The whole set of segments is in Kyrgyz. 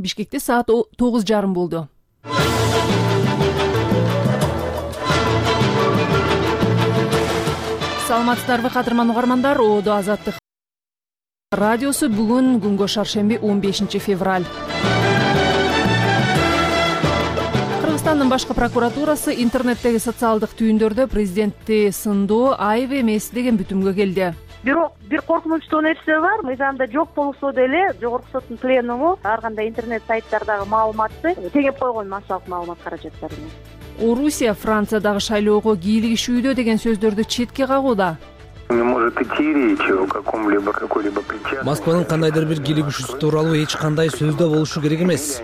Бишкекте саат 9:30 болду. Саламатсыздарбы кадырман угармандар, Оодо Азаттык радиосу бүгүн күнгө шаршемби 15 февраль. Кыргызстандын башкы прокуратурасы интернеттеги социалдык түйүндөрдө президентти сындоо айып эмес деген бүтүмгө келди. Бирок бир коркунучтуу нерсе бар. Мыйзамда жок болсо деле Жогорку соттун пленуму ар кандай интернет сайттардагы маалыматты тегеп койгон массалык маалымат каражаттарына. Орусия Франциядагы шайлоого кийлигишүүдө деген сөздөрдү четке кагууда. Не может идти речь о каком-либо какой-либо причастности. Москванын кандайдыр бир кийлигишүүсү тууралуу эч кандай сөз да болушу керек эмес.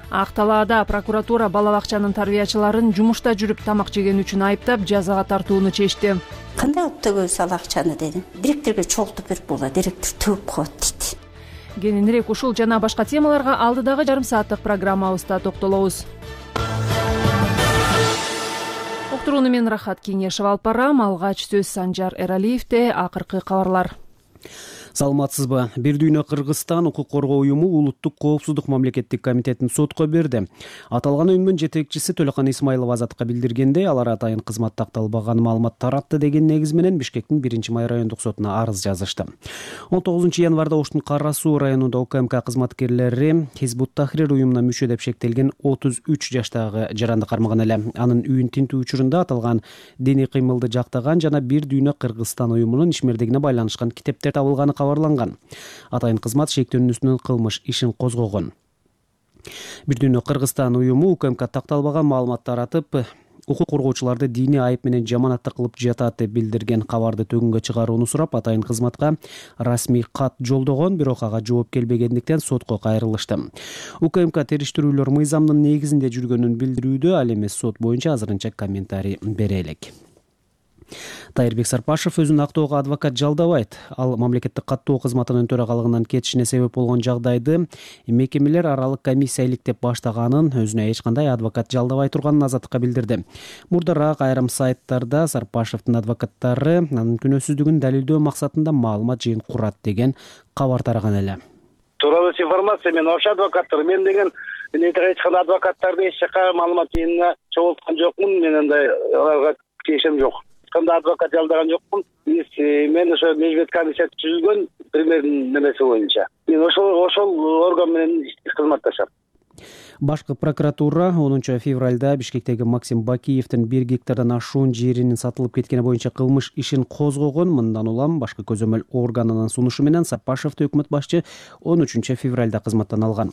Ак талаада прокуратура бала бакчанын тарбиячыларын жумушта жүрүп тамак жеген үчүн айыптап жазага тартууну чечти. Кандай өттөгөбүз ал акчаны дедим. Директорго чогултуп берип була, директор төгүп коет дейт. Кененирээк ушул жана башка темаларга алдыдагы жарым сааттык программабызда токтолобуз. Уктурууну мен Рахат Кеңешев алып барам. Алгач сөз Санжар Эралиевде. Акыркы кабарлар. Саламатсызбы? Бир дүйнө Кыргызстан укук коргоо уюму Улуттук коопсуздук мамлекеттик комитетин сотко берди. Аталган уюмдун жетекчиси Төлөкан Исмаилов Азаттыкка билдиргенде, алар атайын кызмат такталбаган маалымат таратты деген негиз менен Бишкектин 1-май райондук сотуна арыз жазышты. 19-январда Оштун Кара Суу районунда УКМК кызматкерлери Хизбут Тахрир уюмуна мүчө деп шектелген 33 жаштагы жаранды кармаган эле. Анын үйүн тинтүү учурунда аталган диний кыймылды жактаган жана Бир дүйнө Кыргызстан уюмунун ишмердигине байланышкан китептер табылганы кабарланган. Атайын кызмат шектөөнүн үстүнөн кылмыш ишин козгогон. Бир дүйнө Кыргызстан уюму УКМК такталбаган маалымат таратып, укук коргоочуларды диний айып менен жаманатта кылып жатат деп билдирген кабарды төгүнгө чыгарууну сурап, атайын кызматка расмий кат жолдогон, бирок ага жооп келбегендиктен сотко кайрылышты. УКМК териштирүүлөр мыйзамдын негизинде жүргөнүн билдирүүдө, ал эми сот боюнча азырынча комментарий бере элек. Тайырбек Сарпашев өзүн актоого адвокат жалдабайт. Ал мамлекеттик каттоо кызматынын төрагалыгынан кетишине себеп болгон жагдайды мекемелер аралык комиссия иликтеп баштаганын, өзүнө эч кандай адвокат жалдабай турганын Азаттыкка билдирди. Мурдараак айрым сайттарда Сарпашевдин адвокаттары анын күнөөсүздүгүн далилдөө максатында маалымат жыйын курат деген кабар тараган эле. Тууралуу информация мен ошо адвокаттар мен деген эч кандай адвокаттарды эч жака маалымат жыйынына чогулткан жокмун. Мен андай аларга тиешем жок. Кандай адвокат жалдаган жокмун. Мен ошо межбет комиссия түзүлгөн премьердин немеси боюнча. Мен ошол орган менен кызматташам. Башкы прокуратура 10 февралда Бишкектеги Максим Бакиевдин 1 гектардан ашуун жеринин сатылып кеткени боюнча кылмыш ишин козгогон. Мындан улам башкы көзөмөл органынын сунушу менен Сарпашевди өкмөт башчы 13 февралда кызматтан алган.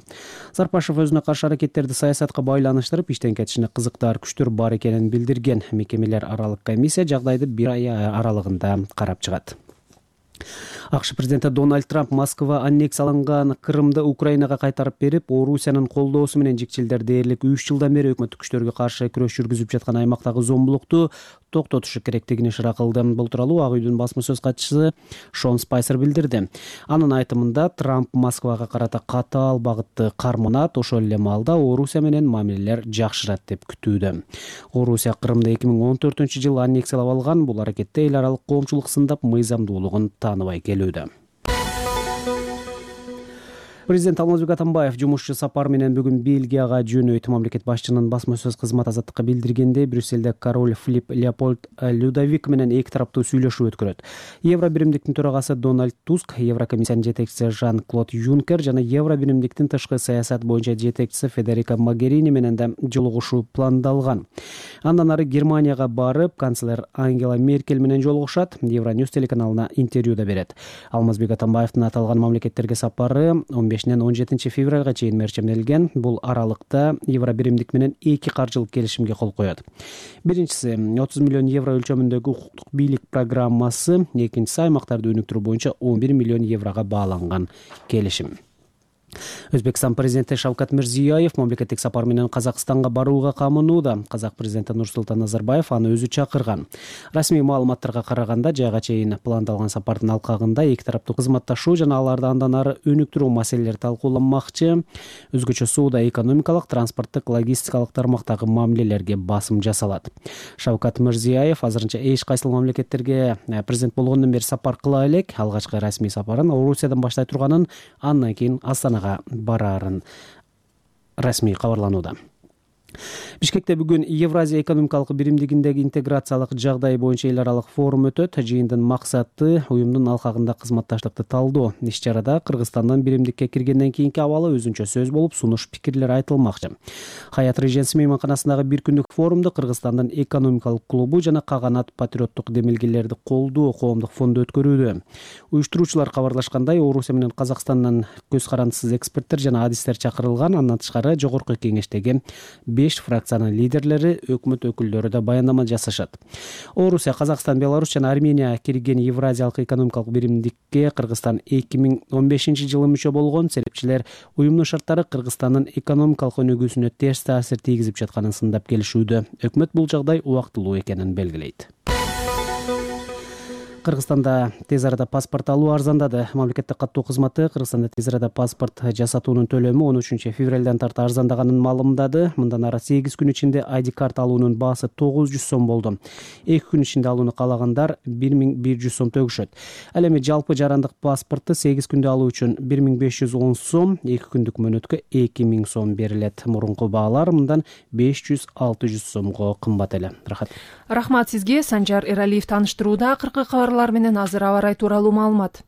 Сарпашев өзүнө каршы аракеттерди саясатка байланыштырып, иштен кетишине кызыктар күчтөр бар экенин билдирген. Мекемелер аралык комиссия жагдайды 1 ай аралыгында карап чыгат. АКШ президенти Дональд Трамп Москва аннексияланган Крымды Украинага кайтарып берип, Орусиянын колдоосу менен жикчилдер дээрлик 3 жылдан бери өкмөттүк күчтөргө каршы күрөш жүргүзүп жаткан аймактагы зомбулукту токтотушу керектигин ишара кылды. Бул тууралуу Ак үйдүн басма сөз катчысы Шон Спайсер билдирди. Анын айтымында Трамп Москвага карата катаал багытты карманат, ошол эле маалда Орусия менен мамилелер жакшырат деп күтүүдө. Орусия Крымды 2014-жылы аннексиялап алган. Бул аракетте эл аралык коомчулук сындап мыйзамдуулугун тааныбай келүүдө. Президент Алмазбек Атамбаев жумушчу сапар менен бүгүн Бельгияга жөнөйт. Мамлекет башчынын басма сөз кызматы Азаттыкка билдиргенде, Брюсселде король Филипп Леопольд Людовик менен эки тараптуу сүйлөшүү өткөрөт. Евро биримдиктин төрагасы Дональд Туск, Еврокомиссиянын жетекчиси Жан-Клод Юнкер жана Евро биримдиктин тышкы саясат боюнча жетекчиси Федерико Могерини менен да жолугушуу пландалган. Андан ары Германияга барып, канцлер Ангела Меркель менен жолугушат. Евроньюс телеканалына интервьюда берет. Алмазбек Атамбаевдин аталган мамлекеттерге сапары 15-17 февралга чейин мерчемделген. Бул аралыкта Евро биримдик менен 2 каржылык келишимге кол коет. Биринчиси 30 миллион евро өлчөмүндөгү укуктук бийлик программасы, экинчиси аймактарды өнүктүрүү боюнча 11 миллион еврого бааланган келишим. Өзбекстан президенти Шавкат Мирзиёев мамлекеттик сапар менен Казакстанга барууга камынууда. Казак президенти Нурсултан Назарбаев аны өзү чакырган. Расмий маалыматтарга караганда, жайга чейин пландалган сапардын алкагында эки тараптуу кызматташуу жана аларды андан ары өнүктүрүү маселелери талкууланмакчы. Өзгөчө сууда экономикалык, транспорттук, логистикалык тармактагы мамилелерге басым жасалат. Шавкат Мирзиёев азырынча эч кайсы мамлекеттерге президент болгондон бери сапар кыла элек. Алгачкы расмий сапарын Орусиядан баштай турганын, андан кийин Астанага бараарын расмий кабарланууда. Бишкекте бүгүн Евразия экономикалык биримдигиндеги интеграциялык жагдай боюнча эл аралык форум өтөт. Жыйындын максаты уюмдун алкагында кызматташтыкты талдоо. Иш чарада Кыргызстандын биримдикке киргенден кийинки абалы өзүнчө сөз болуп, сунуш пикирлер айтылмакчы. Хаят Реженси мейманканасындагы бир күндүк форумду Кыргызстандын экономикалык клубу жана Каганат патриоттук демилгелерди колдоо коомдук фонду өткөрүүдө. Уюштуруучулар кабарлашкандай, Орусия менен Казакстандан көз карандысыз эксперттер жана адистер чакырылган. Андан тышкары жогорку кеңештеги 5 фракциянын лидерлери, өкмөт өкүлдөрү да баяндама жасашат. Орусия, Казакстан, Беларусь жана Армения кирген Евразиялык экономикалык биримдикке Кыргызстан 2015-жылы мүчө болгон. Серепчилер уюмдун шарттары Кыргызстандын экономикалык өнүгүүсүнө терс таасир тийгизип жатканын сындап келишүүдө. Өкмөт бул жагдай убактылуу экенин белгилейт. Кыргызстанда тез арада паспорт алуу арзандады. Мамлекеттик каттоо кызматы Кыргызстанда тез арада паспорт жасатуунун төлөмү 13-февралдан тарта арзандаганын маалымдады. Мындан ары 8 күн ичинде ID карт алуунун баасы 900 сом болду. 2 күн ичинде алууну каалагандар 1100 сом төгүшөт. Ал эми жалпы жарандык паспортты 8 күндө алуу үчүн 1510 сом, 2 күндүк мөөнөткө 2000 сом берилет. Мурунку баалар мындан 500-600 сомго кымбат эле. Рахмат сизге. Санжар Эралиев тааныштырууда. Акыркы кабарлар менен азыр аба ырайы тууралуу маалымат.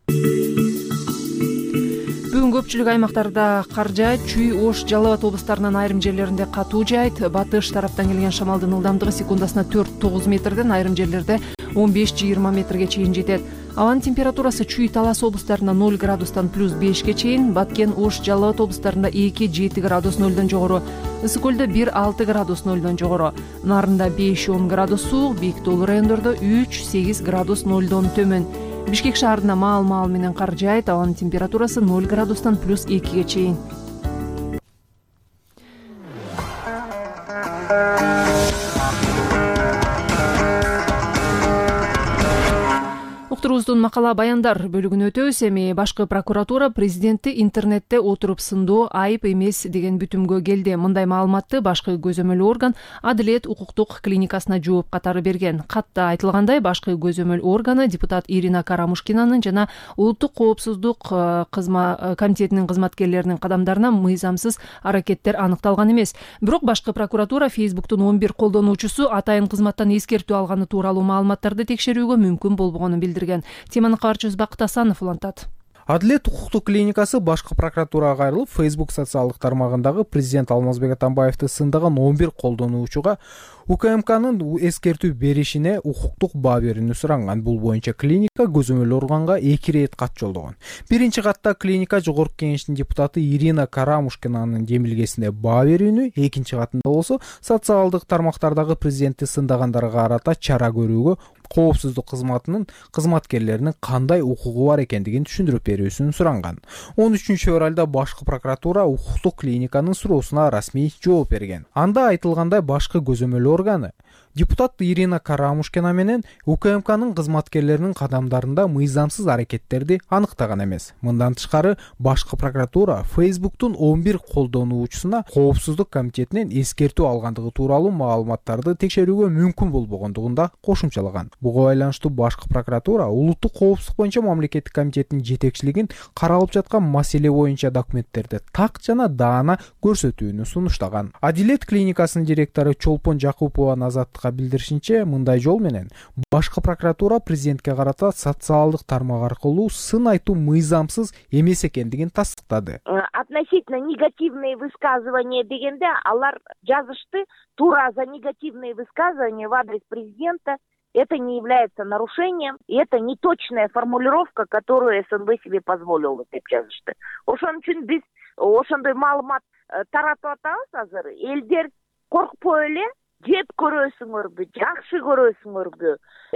Бүгүн көпчүлүк аймактарда кар жаайт. Чүй, Ош, Жалал Абад облустарынын айрым жерлеринде катуу жаайт. Батыш тараптан келген шамалдын ылдамдыгы секундасына 4-9 метрден, айрым жерлерде 15-20 метрге чейин жетет. Абанын температурасы Чүй, Талас облустарында 0 градустан +5ге чейин, Баткен, Ош, Жалал Абад облустарында 2-7 градус 0дон жогору, Ысык көлдө 1-6 градус 0дон жогору, Нарында 5-10 градус суук, бийик тоолуу райондордо 3-8 градус 0дон төмөн. Бишкек шаарында маал менен кар жаайт. Абанын температурасы 0 градустан +2ге чейин. Уктуруубуздун макала баяндар бөлүгүнө өтөбүз. Эми башкы прокуратура президентти интернетте отуруп сындоо айып эмес деген бүтүмгө келди. Мындай маалыматты башкы көзөмөл орган Адилет укуктук клиникасына жооп катары берген. Катта айтылгандай, башкы көзөмөл органы депутат Ирина Карамушкинанын жана улуттук коопсуздук комитетинин кызматкерлеринин кадамдарына мыйзамсыз аракеттер аныкталган эмес. Бирок башкы прокуратура Фейсбуктун 11 колдонуучусу атайын кызматтан эскертүү алганы тууралуу маалыматтарды текшерүүгө мүмкүн болбогонун билдирген. Теманы кабарчыбыз Бакыт Асанов улантат. Адилет укуктук клиникасы башкы прокуратурага кайрылып, Facebook социалдык тармагындагы президент Алмазбек Атамбаевди сындаган 11 колдонуучуга УКМКнын эскертүү беришине укуктук баа берүүнү суранган. Бул боюнча клиника көзөмөл органга 2 рет кат жолдогон. Биринчи катта клиника жогорку кеңештин депутаты Ирина Карамушкинанын демилгесине баа берүүнү, экинчи катында болсо социалдык тармактардагы президентти сындагандарга карата чара көрүүгө коопсуздук кызматынын кызматкерлеринин кандай укугу бар экендигин түшүндүрүп берүүсүн суранган. 13-февралда башкы прокуратура укуктук клиниканын суроосуна расмий жооп берген. Анда айтылгандай, башкы көзөмөл органы депутат Ирина Карамушкина менен УКМКнын кызматкерлеринин кадамдарында мыйзамсыз аракеттерди аныктаган эмес. Мындан тышкары башкы прокуратура Фейсбуктун 11 колдонуучусуна коопсуздук комитетинен эскертүү алгандыгы тууралуу маалыматтарды текшерүүгө мүмкүн болбогондугун да кошумчалаган. Буга байланыштуу башкы прокуратура улуттук коопсуздук боюнча мамлекеттик комитетинин жетекчилигин каралып жаткан маселе боюнча документтерди так жана даана көрсөтүүнү сунуштаган. Адилет клиникасынын директору Чолпон Жакупова Азаттыкка билдиришинче, мындай жол менен башкы прокуратура президентке карата социалдык тармак аркылуу сын айтуу мыйзамсыз эмес экендигин тастыктады. Относительно негативные высказывания дегенде алар жазышты, туура за негативные высказывания в адрес президента. Это не является нарушением, и это неточная формулировка, которую СНБ себе позволил деп жазышты. Ошон үчүн биз ошондой маалымат таратып атабыз азыр. Элдер коркпой эле жеп көрөсүңөрбү, жакшы көрөсүңөрбү,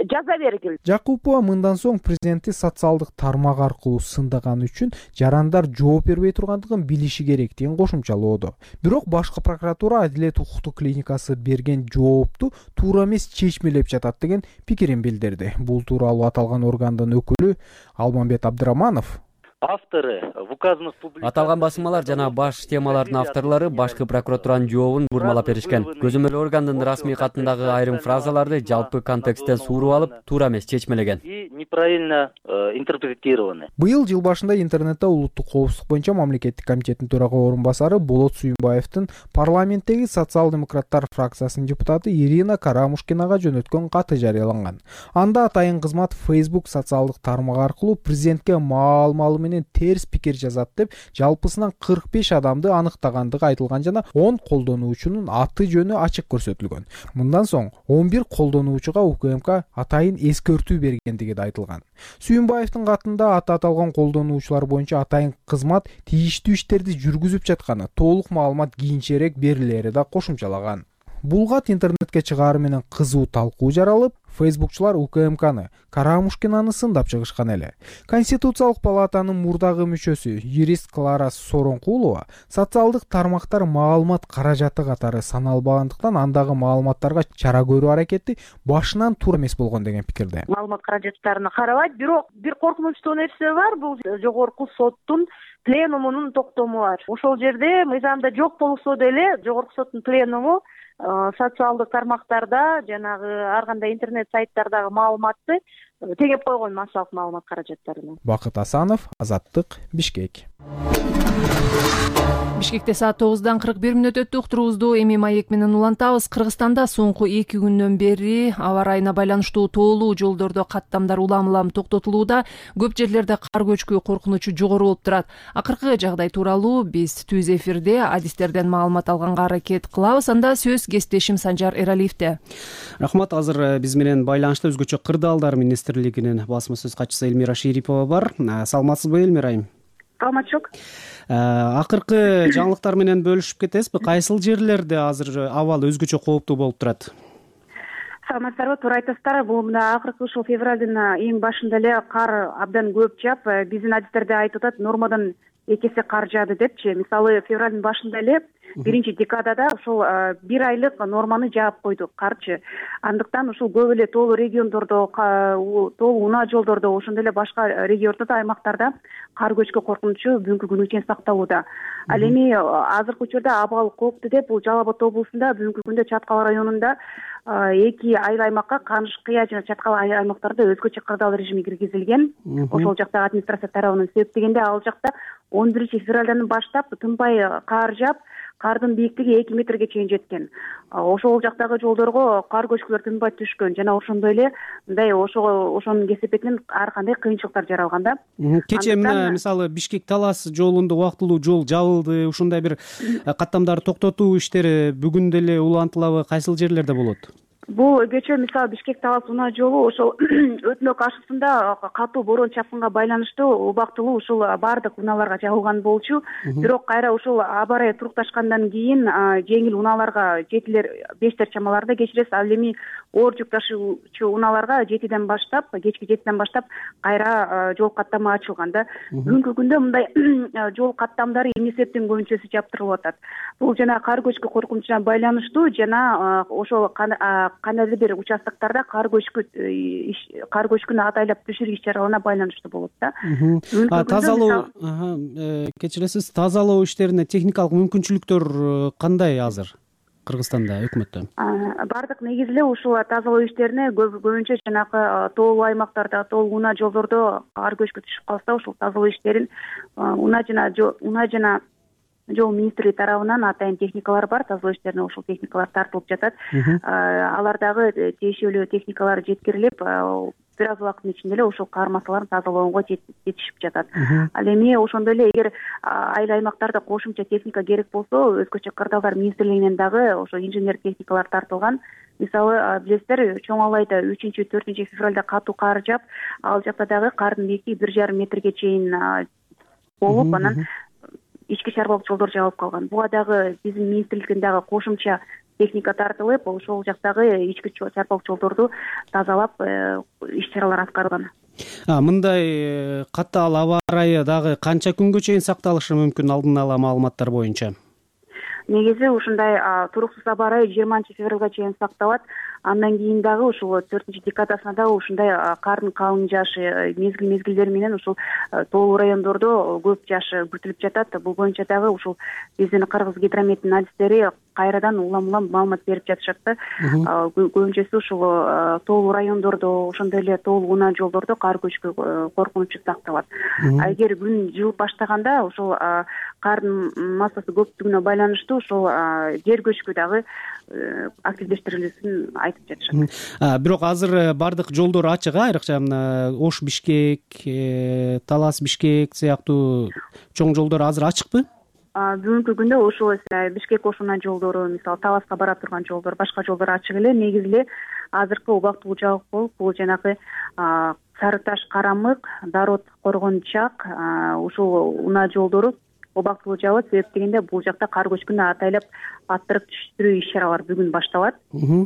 жаза бергил. Жакупова мындан соң президентти социалдык тармак аркылуу сындаган үчүн жарандар жооп бербей тургандыгын билиши керектигин кошумчалоодо. Бирок башкы прокуратура Адилет укуктук клиникасы берген жоопту туура эмес чечмелеп жатат деген пикирин билдирди. Бул тууралуу аталган органдын өкүлү Алмамбет Абдыраманов авторы в указанных публикациях аталган басмалар жана баш темалардын авторлору башкы прокуратуранын жообун бурмалап беришкен. Көзөмөл органдын расмий катындагы айрым фразаларды жалпы контексттен сууруп алып, туура эмес чечмелеген. И неправильно интерпретированы. Быйыл жыл башында интернетте улуттук коопсуздук боюнча мамлекеттик комитеттин төрага орун-басары Болот Сүйүнбаевдин парламенттеги социал-демократтар фракциясынын депутаты Ирина Карамушкинага жөнөткөн каты жарыяланган. Анда атайын кызмат Facebook социалдык тармак аркылуу президентке маал-маалы менен терс пикир жазат деп жалпысынан 45 адамды аныктагандыгы айтылган жана 10 колдонуучунун аты жөнү ачык көрсөтүлгөн. Мындан соң 11 колдонуучуга УКМК атайын эскертүү бергендиги да айтылган. Сүйүнбаевдин катында аталган колдонуучулар боюнча атайын кызмат тийиштүү иштерди жүргүзүп жатканы, толук маалымат кийинчерээк берилери да кошумчалаган. Бул кат интернетке чыгаары менен кызуу талкуу жаралып, фейсбукчулар УКМКны, Карамушкинаны сындап чыгышкан эле. Конституциялык палатанын мурдагы мүчөсү, юрист Клара Соронкулова социалдык тармактар маалымат каражаты катары саналбагандыктан андагы маалыматтарга чара көрүү аракети башынан туура эмес болгон деген пикирде. Маалымат каражаттарына карабайт, бирок бир коркунучтуу нерсе бар, бул жогорку соттун пленумунун токтому бар. Ошол жерде мыйзамда жок болсо деле жогорку соттун пленуму социалдык тармактарда жанагы ар кандай интернет сайттардагы маалыматты тегеп койгон массалык маалымат каражаттарына. Бакыт Асанов, Азаттык, Бишкек. Бишкекте саат 9:41 өттү. Уктуруубузду эми маек менен улантабыз. Кыргызстанда соңку 2 күндөн бери аба ырайына байланыштуу тоолуу жолдордо каттамдар улам-улам токтотулууда. Көп жерлерде кар көчкү коркунучу жогору болуп турат. Акыркы жагдай тууралуу биз түз эфирде адистерден маалымат алганга аракет кылабыз. Анда сөз кесиптешим Санжар Эралиевде. Рахмат. Азыр биз менен байланышта өзгөчө кырдаалдар министрлигинин басма сөз катчысы Элмира Шерипова бар. Саламатсызбы, Элмира айым? Саламатчылык. Акыркы жаңылыктар менен бөлүшүп кетесизби? Кайсыл жерлерде азыр абал өзгөчө кооптуу болуп турат? Саламатсыздарбы, туура айтасыздар. Бул мына акыркы ушул февралдын эң башында эле кар абдан көп жаап, биздин адистерде айтып атат, нормадан 2 эсе кар жаады депчи. Мисалы, февралдын башында эле биринчи декадада ушул 1 айлык норманы жаап койду карчы. Андыктан ушул көп эле тоолуу региондордо, тоолуу унаа жолдордо, ошондой эле башка региондордо, аймактарда кар көчкү коркунучу бүгүнкү күнү чейин сакталууда. Ал эми азыркы учурда абал кооптуу деп бул Жалал Абад облусунда бүгүнкү күндө Чаткал районунда 2 айыл аймакка Канышкыя жана Чаткал айыл аймактарында өзгөчө кырдаал режими киргизилген. Ошол жактагы администрация тарабынан себептегенде ал жакта 11 февралдан баштап тынбай кар жаап, кардын бийиктиги 2 метрге чейин жеткен. Ошол жактагы жолдорго кар көчкүлөр тынбай түшкөн жана ошондой эле мындай ошонун кесепетинен ар кандай кыйынчылыктар жаралган да. Кечээ мисалы Бишкек-Талас жолунда убактылуу жол жабылды. Ушундай бир каттамдарды токтотуу иштери бүгүн деле улантылабы? Кайсыл жерлерде болот? Бул кечээ мисалы Бишкек-Талас унаа жолу ошол өтмө каршысында катуу борон чапкынга байланыштуу убактылуу ушул баардык унааларга жабылган болчу. Бирок кайра ушул аба ырайы турукташкандан кийин жеңил унааларга 7-5 чамаларда кечиресиз. Ал эми оор жүк ташуучу унааларга 7ден баштап, кечки 7ден баштап кайра жол каттама ачылган да. Бүгүнкү күндө мындай жол каттамдары эмне себептен көбүнчөсү жаптырылып атат. Бул жана кар көчкү коркунучуна байланыштуу жана ошол кандайдыр бир участоктарда кар көчкүнү атайлап түшүрүү иш-чараларына байланыштуу болот да. Тазалоо, кечиресиз, тазалоо иштерине техникалык мүмкүнчүлүктөр кандай азыр Кыргызстанда, өкмөттө? Бардык негизи эле ушул тазалоо иштерине көбүнчө жанагы тоолуу аймактарда, тоолуу унаа жолдордо кар көчкү түшүп калса, ушул тазалоо иштерин унаа жана жол министрлиги тарабынан атайын техникалар бар. Тазалоо иштерине ушул техникалар тартылып жатат. Алар дагы тиешелүү техникалар жеткирилип, бир аз убакыттын ичинде эле ушул кар массаларын тазалоого жетишип жатат. Ал эми ошондой эле эгер айыл аймактарда кошумча техника керек болсо, өзгөчө кырдаалдар министрлигинен дагы ошо инженер техникалар тартылган. Мисалы, билесиздер, Чоң Алайда 3-4 февралда катуу кар жаап, ал жакта дагы кардын бийиктиги 1,5 метрге чейин болуп, анан ички чарбалык жолдор жабылып калган. Буга дагы биздин министрликтен дагы кошумча техника тартылып, ошол жактагы ички чарбалык жолдорду тазалап иш-чаралар аткарылган. Мындай катаал аба ырайы дагы канча күнгө чейин сакталышы мүмкүн алдын ала маалыматтар боюнча? Негизи ушундай туруксуз аба ырайы 20 февралга чейин сакталат. Андан кийин дагы ушул 4 декадасына дагы ушундай кардын калың жаашы мезгилдери менен ушул тоолуу райондордо көп жааш күтүлүп жатат. Бул боюнча дагы ушул биздин Кыргыз гидрометтин адистери кайрадан улам маалымат берип жатышат да. Көбүнчөсү ушул тоолуу райондордо, ошондой эле тоолуу унаа жолдордо кар көчкү коркунучу сакталат. Эгер күн жылып баштаганда ушул кардын массасы көптүгүнө байланыштуу ушул жер көчкү дагы активдештирилүүсүн айтып жатышат. Бирок азыр бардык жолдор ачык, айрыкча Ош Бишкек, Талас Бишкек сыяктуу чоң жолдор азыр ачыкпы? Бүгүнкү күндө ушул Бишкек Ош унаа жолдору, мисалы Таласка бара турган жолдор, башка жолдор ачык эле. Негизи эле азыркы убактылуу жабык болуп, бул жанагы Сары Таш Карамык, Дарот Коргончак ушул унаа жолдору убактылуу жабылат. Себеп дегенде бул жакта кар көчкүнү атайлап аттырып түштүрүү иш-чаралары бүгүн башталат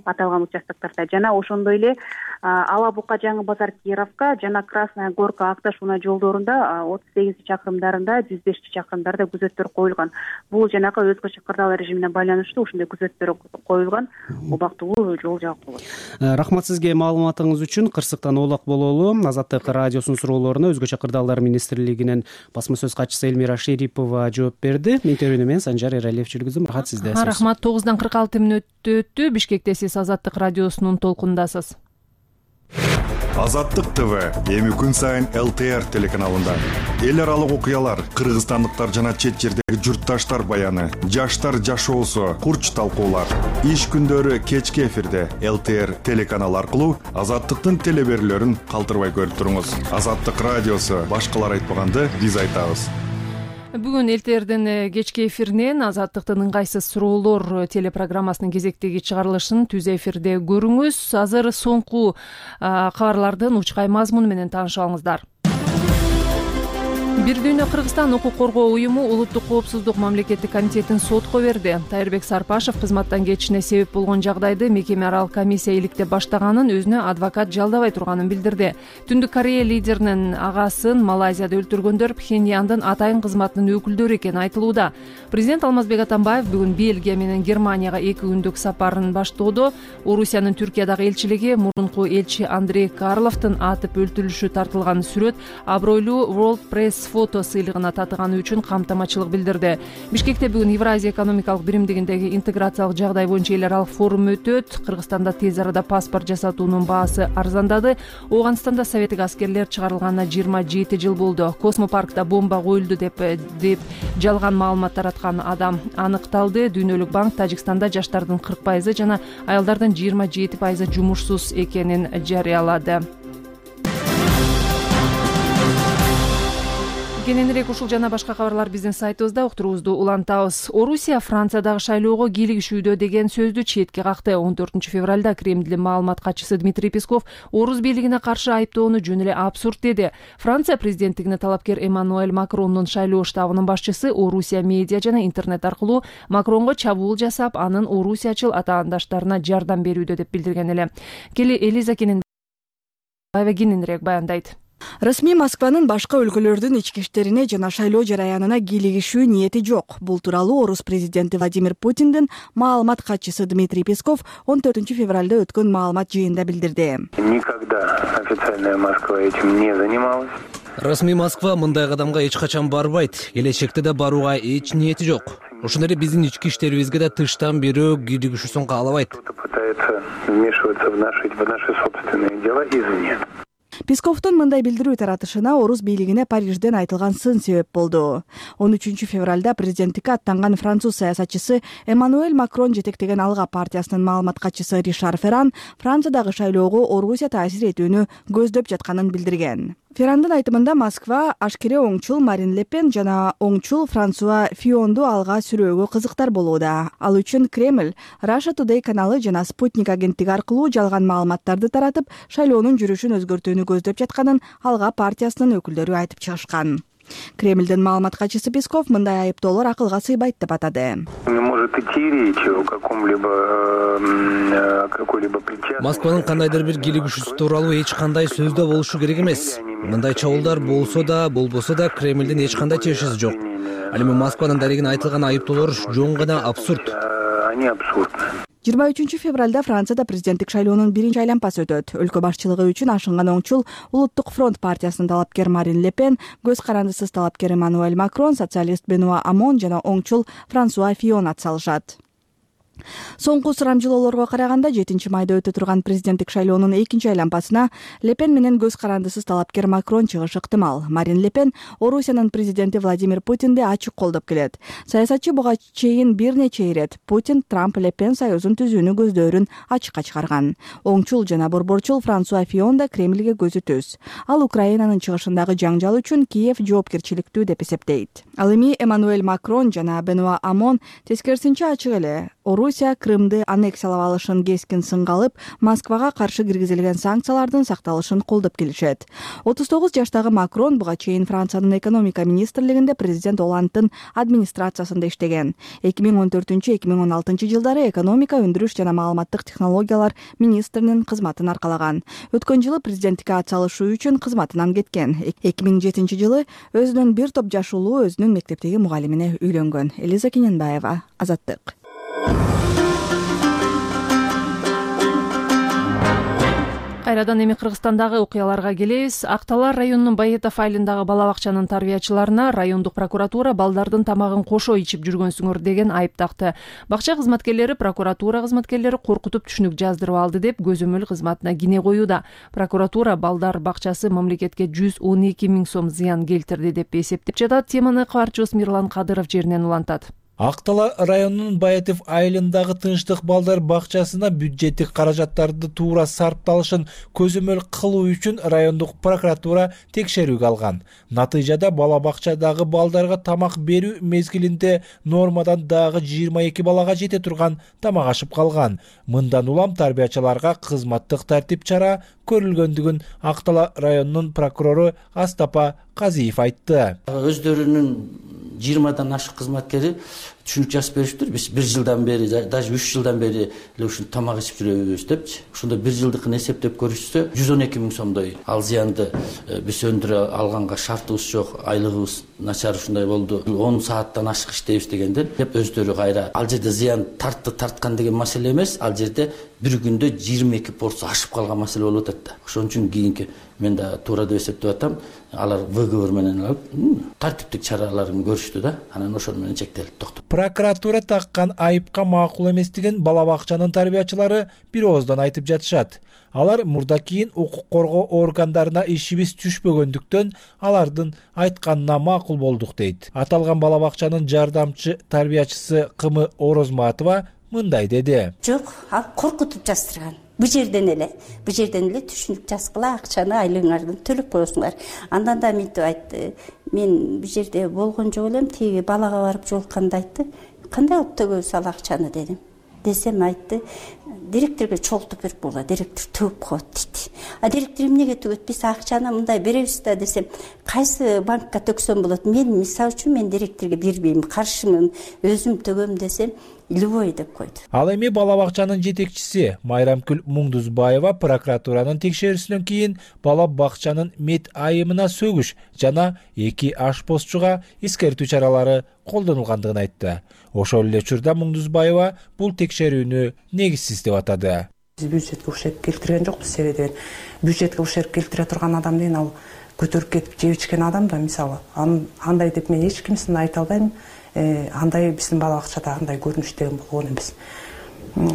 аталган участоктарда. Жана ошондой эле Ала Бука Жаңы Базар Кировка жана Красная Горка Акташ унаа жолдорунда 38 чакырымдарында, 105 чакырымдарда күзөттөр коюлган. Бул жанагы өзгөчө кырдаал режимине байланыштуу ушундай күзөттөр коюлган убактылуу жол жабык болот. Рахмат сизге маалыматыңыз үчүн. Кырсыктан Оолак бололу. Азаттык радиосунун суроолоруна өзгөчө кырдаалдар министрлигинин басма сөз катчысы Элмира Шерипова жооп берди. Интервьюну мен Санжар Эралиев жүргүздүм. Рахмат сизде. Рахмат. 9:46 мүнөт өттү. Бишкекте сиз Азаттык радиосунун толкундасыз. Азаттык ТВ эми күн сайын ЛТР телеканалында эл аралык окуялар, кыргызстандыктар жана чет жердеги журтташтар баяны, жаштар жашоосу, курч талкуулар. Иш күндөрү кечки эфирде ЛТР телеканалы аркылуу Азаттыктын телеберүүлөрүн калтырбай көрүп туруңуз. Азаттык радиосу башкалар айтпаганды биз айтабыз. Бүгүн ЛТРдин кечки эфиринен Азаттыктын ыңгайсыз суроолор телепрограммасынын кезектеги чыгарылышын түз эфирде көрүңүз. Азыр соңку кабарлардын учкай мазмуну менен таанышып алыңыздар. Бир дүйнө Кыргызстан укук коргоо уюму Улуттук коопсуздук мамлекеттик комитетин сотко берди. Тайырбек Сарпашев кызматтан кетишине себеп болгон жагдайды мекеме аралык комиссия иликтеп баштаганын, өзүнө адвокат жалдабай турганын билдирди. Түндүк Корея лидеринин агасын Малайзияда өлтүргөндөр Пхеньяндын атайын кызматынын өкүлдөрү экени айтылууда. Президент Алмазбек Атамбаев бүгүн Бельгия менен Германияга 2 күндүк сапарын баштоодо Орусиянын Түркиядагы элчилиги мурунку элчи Андрей Карловдун атып өлтүрүлүшү тартылган сүрөт абройлуу World Press фото сыйлыгына татыганы үчүн камтамачылык билдирди. Бишкекте бүгүн Евразия экономикалык биримдигиндеги интеграциялык жагдай боюнча эл аралык форум өтөт. Кыргызстанда тез арада паспорт жасатуунун баасы арзандады. Ооганстанда советтик аскерлер чыгарылганына 27 жыл болду. Космопаркта бомба коюлду деп жалган маалымат тараткан адам аныкталды. Дүйнөлүк банк Тажикстанда жаштардын 40% жана аялдардын 27% жумушсуз экенин жарыялады. Кененирээк ушул жана башка кабарлар биздин сайтыбызда, уктуруубузду улантабыз. Орусия Франциядагы шайлоого кийлигишүүдө деген сөздү четке какты. 14 февралда Кремлдин маалымат катчысы Дмитрий Песков орус бийлигине каршы айыптоону жөн эле абсурд деди. Франция президенттигине талапкер Эммануэль Макрондун шайлоо штабынын башчысы Орусия медиа жана интернет аркылуу Макронго чабуул жасап, анын орусиячыл атаандаштарына жардам берүүдө деп билдирген эле. Элиза кененирээк баяндайт. Расмий Москванын башка өлкөлөрдүн ички иштерине жана шайлоо жараянына кийлигишүү ниети жок. Бул тууралуу орус президенти Владимир Путиндин маалымат катчысы Дмитрий Песков 14 февралда өткөн маалымат жыйында билдирди. Никогда официальная Москва этим не занималась. Расмий Москва мындай кадамга эч качан барбайт. Келечекте да барууга эч ниети жок. Ошондой эле биздин ички иштерибизге да тыштан бирөө кийлигишүүсүн каалабайт. Кто-то пытается вмешиваться в наши собственные дела извне. Песковдун мындай билдирүү таратышына орус бийлигине Парижден айтылган сын себеп болду. 13 февралда президенттикке аттанган француз саясатчысы Эммануэль Макрон жетектеген Алга партиясынын маалымат катчысы Ришар Ферран Франциядагы шайлоого Орусия таасир этүүнү көздөп жатканын билдирген. Феррандын айтымында Москва ашкере оңчул Марин Ле Пен жана оңчул Франсуа Фионду алга сүрөөгө кызыктар болууда. Ал үчүн Кремль Russia Today каналы жана Спутник агенттиги аркылуу жалган маалыматтарды таратып, шайлоонун жүрүшүн өзгөртүүнү көздөп жатканын Алга партиясынын өкүлдөрү айтып чыгышкан. Кремлдин маалымат катчысы Песков мындай айыптоолор акылга сыйбайт деп атады. Москванын кандайдыр бир кийлигишүүсү тууралуу эч кандай сөздө болушу керек эмес. Мындай чабуулдар болсо да, болбосо да Кремлдин эч кандай чечиши жок. Ал эми Москванын дарегине айтылган айыптоолор жөн гана абсурд. 23 февралда Францияда президенттик шайлоонун биринчи айланпасы өтөт. Өлкө башчылыгы үчүн ашынган оңчул Улуттук фронт партиясынын талапкер Марин Ле Пен, көз карандысыз талапкер Эммануэль Макрон, социалист Бенуа Амон жана оңчул Франсуа Фион атсалышат. Соңку сурамжылоолорго караганда 7-майда өтө турган президенттик шайлоонун экинчи айланпасына Ле Пен менен көз карандысыз талапкер Макрон чыгышы ыктымал. Марин Ле Пен Орусиянын президенти Владимир Путинди ачык колдоп келет. Саясатчы буга чейин бир нече ирет Путин Трамп Ле Пен союзун түзүүнү көздөрүн ачыкка чыгарган. Оңчул жана борборчул Франсуа Фион да Кремльге көзү түз. Ал Украинанын чыгышындагы жаңжал үчүн Киев жоопкерчиликтүү деп эсептейт. Ал эми Эммануэль Макрон жана Бенуа Амон тескерисинче ачык эле Орусия Крымды аннексиялап алышын кескин сынга алып, Москвага каршы киргизилген санкциялардын сакталышын колдоп келишет. 39 жаштагы Макрон буга чейин Франциянын экономика министрлигинде президент Оландтын администрациясында иштеген. 2014-2016 жылдары экономика, өндүрүш жана маалыматтык технологиялар министринин кызматын аркалаган. Өткөн жылы президенттикке атсалышуу үчүн кызматынан кеткен. 2007 жылы өзүнүн бир топ жаш уулу өзүнүн мектептеги мугалимине үйлөнгөн. Элиза Кененбаева, Азаттык. Кайрадан эми Кыргызстандагы окуяларга келебиз. Акталар районунун Баетов айылындагы бала бакчанын тарбиячыларына райондук прокуратура балдардын тамагын кошо ичип жүргөнсүңөр деген айып такты. Бакча кызматкерлери прокуратура кызматкерлери коркутуп түшүнүк жаздырып алды деп көзөмөл кызматына кине коюуда. Прокуратура балдар бакчасы мамлекетке 112 000 сом зыян келтирди деп эсептеп жатат. Теманы кабарчыбыз Мирлан Кадыров жеринен улантат. Актала районунун Баетов айылындагы Тынчтык балдар бакчасына бюджеттик каражаттарды туура сарпталышын көзөмөл кылуу үчүн райондук прокуратура текшерүүгө алган. Натыйжада бала бакчадагы балдарга тамак берүү мезгилинде нормадан дагы 22 балага жете турган тамак ашып калган. Мындан улам тарбиячыларга кызматтык тартип чара көрүлгөндүгүн Актала районунун прокурору Астапа Казиев айтты. Өздөрүнүн 20-дан ашык кызматкери түшүнүк жазып бериптир. Биз 1 жылдан бери, даже 3 жылдан бери эле ушун тамак ичип жүрөбүз депчи. Ошондо 1 жылдыкын эсептеп көрүшсө 112 000 сомдой ал зыянды биз өндүрө алганга шартыбыз жок, айлыгыбыз начар ушундай болду. 10 сааттан ашык иштейбиз дегенде деп өздөрү кайра ал жерде зыян тарткан деген маселе эмес, ал жерде бир күндө 22 порция ашып калган маселе болуп атат да. Ошон үчүн кийинки мен да туура деп эсептеп атам. Алар выговор менен алып тартиптик чараларын көрүштү да. Анан ошол менен чектелип токтоп. Прокуратура таккан айыпка макул эместигин бала бакчанын тарбиячылары бир ооздан айтып жатышат. Алар мурда кийин укук коргоо органдарына ишибиз түшпөгөндүктөн алардын айтканына макул болдук дейт. Аталган бала бакчанын жардамчы тарбиячысы Кымы Орозматова мындай деди. Жок, ал коркутуп жаздырган. Бу жерден эле түшүнүк жазгыла, акчаны айлыгыңардан төлөп коесуңар. Андан да мынтип айтты. Мен бу жерде болгон жок элем, тиги балага барып жолукканда айтты. Кандай алып төгөбүз ал акчаны дедим. Десем айтты, директорго чогултуп берип болду, директор төгүп коет дейт. Директор эмнеге төгөт? Биз акчаны мындай беребиз да десем, кайсы банкка төксөм болот? Мен мисалы үчүн мен директорго бербейм, каршымын, өзүм төгөм десем, любой деп койду. Ал эми бала бакчанын жетекчиси Майрамкүл Муңдузбаева прокуратуранын текшерүүсүнөн кийин бала бакчанын мет айымына сөгүш жана 2 ашпозчуга эскертүү чаралары колдонулгандыгын айтты. Ошол эле учурда Муңдузбаева бул текшерүүнү негизсиз деп атады. Биз бюджетке ушерп келтирген жокпуз, себеби деген бюджетке ушерп келтире турган адам деген ал көтөрүп кетип жеп ичкен адам да, мисалы. Андай деп мен эч кимсин айта албайм. Андай биздин бала бакчада андай көрүнүш деген болгон эмес.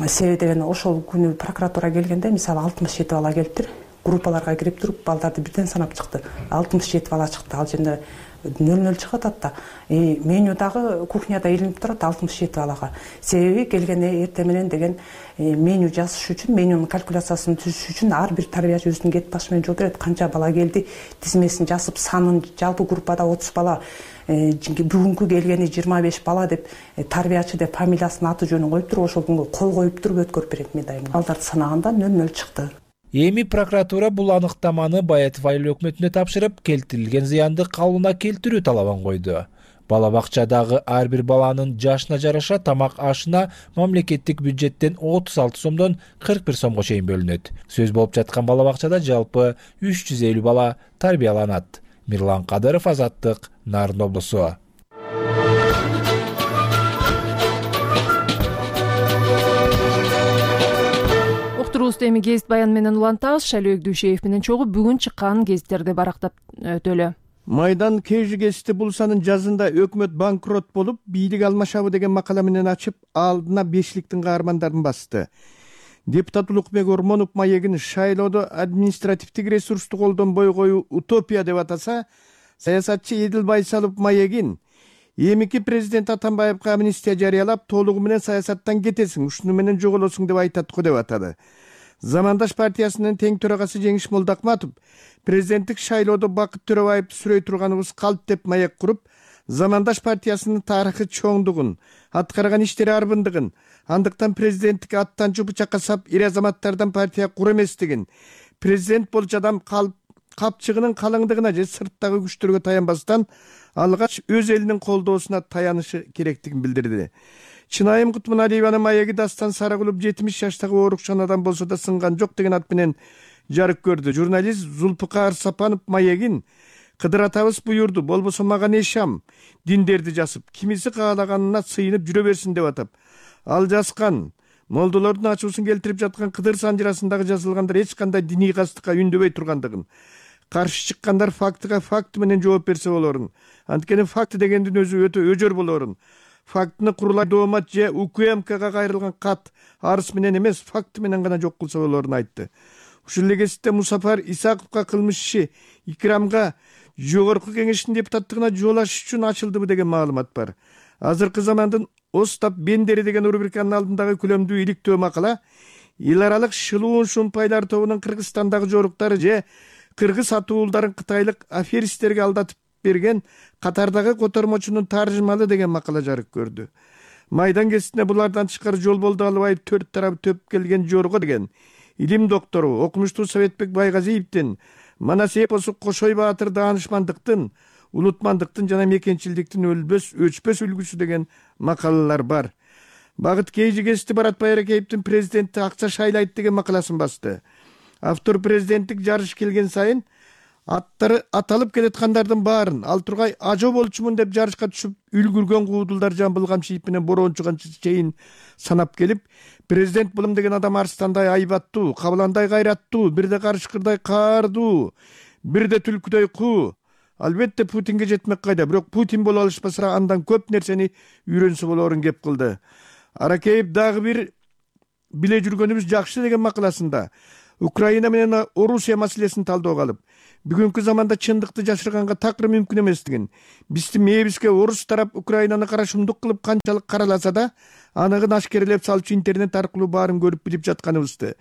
Себеби деген ошол күнү прокуратура келгенде мисалы 67 бала келиптир. Группаларга кирип туруп балдарды бирден санап чыкты. 67 бала чыкты. Ал жерде 00 чыгып атат да. Менюдагы кухняда илинип турат 67 балага. Себеби келгенде эртең менен деген меню жазыш үчүн, менюнун калькуляциясын түзүш үчүн ар бир тарбиячы өзүнүн кет башы менен жооп берет. Канча бала келди, тизмесин жазып, санын жалпы группада 30 бала, бүгүнкү келгени 25 бала деп тарбиячы деп фамилиясын, аты жөнүн коюп туруп, ошол күнгө кол коюп туруп өткөрүп берет мен дайым. Балдарды санаганда 00 чыкты. Эми прокуратура бул аныктаманы Баетов айыл өкмөтүнө тапшырып, келтирилген зыянды калыбына келтирүү талабын койду. Бала бакчадагы ар бир баланын жашына жараша тамак ашына мамлекеттик бюджеттен 36 сомдон 41 сомго чейин бөлүнөт. Сөз болуп жаткан бала бакчада жалпы 350 бала тарбияланат. Мирлан Кадыров, Азаттык, Нарын облусу. эми гезит баян менен улантабыз. Шайлоо Дүйшеев менен чогуу бүгүн чыккан гезиттерди барактап өтөлү. Майдан KG гезити бул санын жазында өкмөт банкрот болуп, бийлик алмашабы деген макала менен ачып, алдына бешликтин каармандарын басты. Депутат Улукбек Ормонов маегин шайлоодо административдик ресурсту колдонбой коюу утопия деп атаса, саясатчы Эдил Байсалов маегин эмики президент Атамбаевка амнистия жарыялап, толугу менен саясаттан кетесиң, ушуну менен жоголосуң деп айтат го деп атады. Замандаш партиясынын тең төрагасы Жеңиш Молдакматов президенттик шайлоодо Бакыт Төрөбаев сүрөй турганыбыз калп деп маек куруп, Замандаш партиясынын тарыхы чоңдугун, аткарган иштери арбындыгын, андыктан президенттикке аттанчу бычакка сап ир азаматтардан партия кура эместигин, президент болчу адам капчыгынын калыңдыгына же сырттагы күчтөргө таянбастан алгач өз элинин колдоосуна таянышы керектигин билдирди. Чынайым Кутманалиеванын маеги Дастан Сарагулов 70 жаштагы оорукчанадан болсо да сынган жок деген ат менен жарык көрдү. Журналист Зулпукар Сапанов маегин Кыдыр атабыз буюрду, болбосо мага не шам, диндерди жасып, кимиси каалаганына сыйынып жүрө берсин деп атап. Ал жазган молдолордун ачуусун келтирип жаткан Кыдыр санжырасындагы жазылгандар эч кандай диний кастыкка үндөбөй тургандыгын, каршы чыккандар фактыга факт менен жооп берсе болорун. Анткени факт дегендин өзү өтө өжөр болорун. Фактыны курулай доомат же УКМКга кайрылган кат арыз менен эмес, факты менен гана жок кылса болорун айтты. Ушул эле кезекте Мусафар Исаковго кылмыш иши Икрамга жогорку кеңештин депутаттыгына жол ачыш үчүн ачылдыбы деген маалымат бар. Азыркы замандын Остап Бендери деген рубриканын алдындагы күлөмдүү иликтөө макала эл аралык шылуун шумпайлар тобунун Кыргызстандагы жоруктары же кыргыз атуулдарын кытайлык аферисттерге алдатып берген катардагы котормочунун таржымалы деген макала жарык көрдү. Майдан гезитине булардан тышкары Жолболду Алыбаев төрт тарап төп келген жорго деген илим доктору окумуштуу Советбек Байгазиевдин Манас эпосу Кошой Баатыр даанышмандыктын, улутмандыктын жана мекенчилдиктин өчпөс үлгүсү деген макалалар бар. Багыт KG гезити Барат Байракеевдин президентти акча шайлайт деген макаласын басты. Автор президенттик жарыш келген сайын аттары аталып келаткандардын баарын ал тургай ажо болчумун деп жарышка түшүп үлгүргөн куудулдар Жамбыл Камшиев менен Борончуган чейин санап келип, президент булум деген адам арстандай айбаттуу, кабыландай кайраттуу, бирде карышкырдай каардуу, бирде түлкүдөй куу. Албетте Путинге жетмек кайда, бирок Путин боло алышпаса андан көп нерсени үйрөнсө болорун кеп кылды. Аракеев дагы бир биле жүргөнүбүз жакшы деген макаласында Украина менен Орусия маселесин талдоого алып, бүгүнкү заманда чындыкты жашырганга такыр мүмкүн эместигин, биздин мээбизге орус тарап Украинаны карашымдык кылып канчалык караласа да, аныгын ашкерелеп салчу интернет аркылуу баарын көрүп билип жатканыбызды.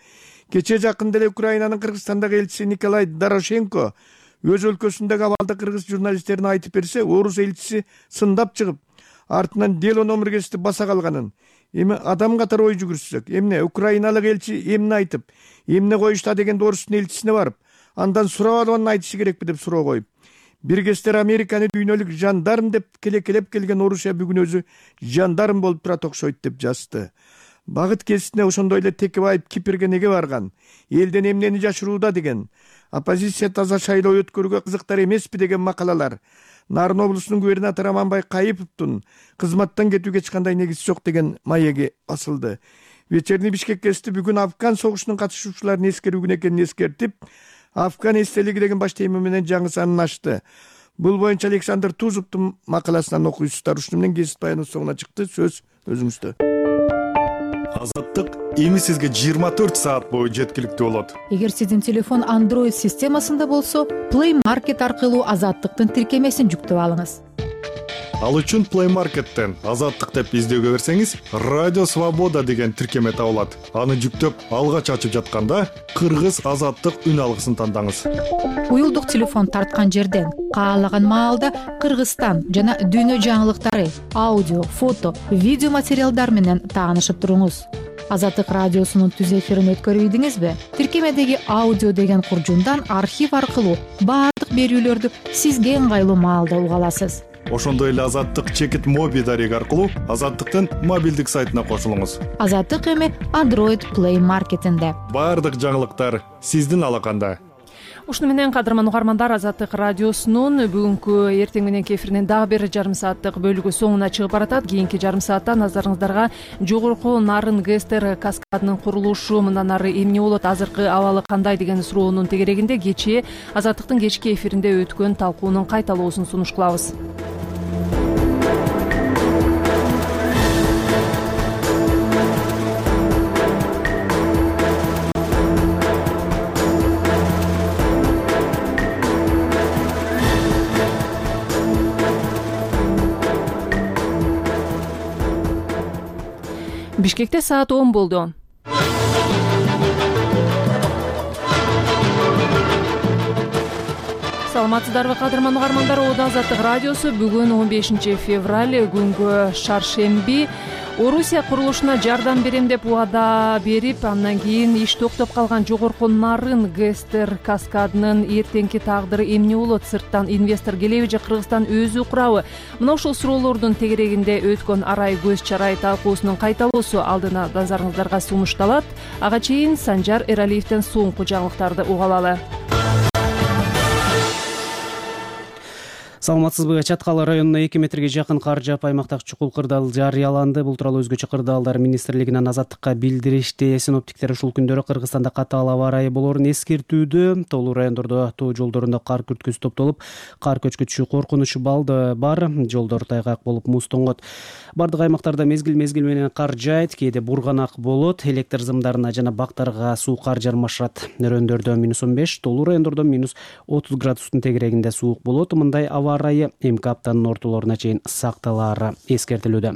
Кече жакында эле Украинанын Кыргызстандагы элчиси Николай Дорошенко өз өлкөсүндөгү абалды кыргыз журналисттерине айтып берсе, орус элчиси сындап чыгып, артынан дело номер гезити баса калганын, эми адам катары ой жүгүрсөк, эмне украиналык элчи эмне айтып, эмне коюшта дегенде орустун элчисине барып, андан сурап алганын айтышы керекпи деп суроо коюп, бир кездер Американы дүйнөлүк жандарм деп келекелеп келген Орусия бүгүн өзү жандарм болуп турат окшойт деп жазды. Багыт гезитине ошондой эле Текебаев Кипрге неге барган, элден эмнени жашырууда деген, оппозиция таза шайлоо өткөрүүгө кызыктар эмеспи деген макалалар, Нарын облусунун губернатору Аманбай Кайыповдун кызматтан кетүүгө эч кандай негиз жок деген маеги басылды. Вечерний Бишкек гезити бүгүн Афган согушунун катышуучуларын эскерүүгүн экенин эскертип, Афган эстелиги деген баш тема менен жаңы санын ачты. Бул боюнча Александр Тузовдун макаласынан окуйсуздар. Ушуну менен гезит баяныбыз соңуна чыкты. Сөз өзүңүздө. Азаттык эми сизге 24 саат бою жеткиликтүү болот. Эгер сиздин телефон Android системасында болсо, Play Market аркылуу Азаттыктын тиркемесин жүктөп алыңыз. Ал үчүн Play Market'тен Азаттык деп издөөгө берсеңиз, Радио Свобода деген тиркеме табылат. Аны жүктөп алгач ачып жатканда Кыргыз Азаттык үн алгысын тандаңыз. Уюлдук телефон тарткан жерден каалаган маалда Кыргызстан жана дүйнө жаңылыктары, аудио, фото, видео материалдар менен таанышып туруңуз. Азаттык радиосунун түз эфирин өткөрүбүдүңүзбү? Тиркемедеги аудио деген куржундан архив аркылуу баардык берүүлөрдү сизге ыңгайлуу маалда уга аласыз. Ошондой эле Азаттык чекит моби дареги аркылуу Азаттыктын мобилдик сайтына кошулуңуз. Азаттык эми Android Play Market'инде. Баардык жаңылыктар сиздин алаканда. Ушуну менен кадырман угармандар, Азаттык радиосунун бүгүнкү эртең мененки эфиринин дагы бир жарым сааттык бөлүгү соңуна чыгып баратат. Кийинки жарым саатта назарыңыздарга жогорку нарын ГЭСТер каскадынын курулушу мындан ары эмне болот, азыркы абалы кандай деген суроонун тегерегинде кечээ Азаттыктын кечки эфиринде өткөн талкуунун кайталоосун сунуш кылабыз. Бишкекте саат 10 болду. Саламатсыздарбы кадырман угармандар, Азаттык радиосу бүгүн 15 февраль күнгө шаршемби. Орусия курулушуна жардам берем деп убада берип, андан кийин иш токтоп калган жогорку нарын ГЭСТер каскадынын эртеңки тагдыры эмне болот? Сырттан инвестор келеби же Кыргызстан өзү курабы? Мына ушул суроолордун тегерегинде өткөн арай көз чарай талкуусунун кайталоосу алдына назарыңыздарга сунушталат. Ага чейин Санжар Эралиевден соңку жаңылыктарды уга алалы. Саламатсызбы? Чаткалы районуна 2 метрге жакын кар жаап, аймактагы чукул кырдаал жарыяланды. Бул тууралуу өзгөчө кырдаалдар министрлигинен Азаттыкка билдиришти. Синоптиктер ушул күндөрү Кыргызстанда катаал аба ырайы болоорун эскертүүдө. Тоолуу райондордо тоо жолдорунда кар күрткүсү топтолуп, кар көчкү коркунучу бар. Жолдор тайгак болуп муз тоңот. Бардык аймактарда мезгил менен кар жаайт, кээде бурганак болот. Электр зымдарына жана бактарга суу кар жармашат. Нөрөндөрдө -15, тоолуу райондордо -30 градустун тегерегинде суук болот. Мындай аба ырайы эмки аптанын ортолоруна чейин сакталаары эскертилүүдө.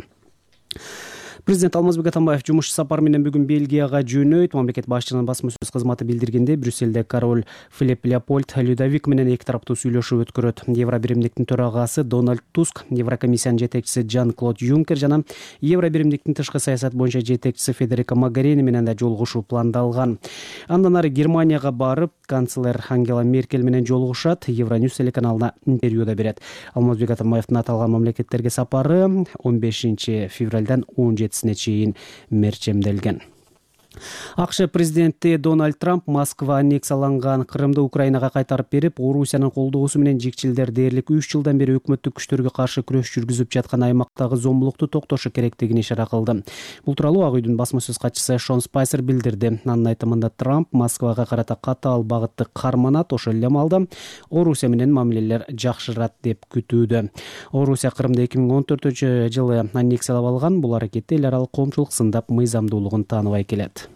Президент Алмазбек Атамбаев жумуш сапары менен бүгүн Бельгияга жөнөйт. Мамлекет башчынын басма сөз кызматы билдиргенде, Брюсселде король Филипп Леопольд Людовик менен эки тараптуу сүйлөшүү өткөрөт. Евробиримдиктин төрагасы Дональд Туск, Еврокомиссиянын жетекчиси Жан-Клод Юнкер жана Евробиримдиктин тышкы саясат боюнча жетекчиси Федерико Могерини менен да жолугушуу пландалган. Андан ары Германияга барып, канцлер Ангела Меркель менен жолугушат. Евроньюс телеканалына интервьюда берет. Алмазбек Атамбаевдин аталган мамлекеттерге сапары 15 февралдан 17 чейин мерчемделген. АКШ президенти Дональд Трамп Москва аннексияланган Крымды Украинага кайтарып берип, Орусиянын колдоосу менен жикчилдер дээрлик 3 жылдан бери өкмөттүк күчтөргө каршы күрөш жүргүзүп жаткан аймактагы зомбулукту токтошу керектигин ишара кылды. Бул тууралуу Ак үйдүн басма сөз катчысы Шон Спайсер билдирди. Анын айтымында Трамп Москвага карата катаал багытты карманат, ошол эле маалда Орусия менен мамилелер жакшырат деп күтүүдө. Орусия Крымды 2014-жылы аннексиялап алган. Бул аракетти эл аралык коомчулук сындап мыйзамдуулугун тааныбай келет.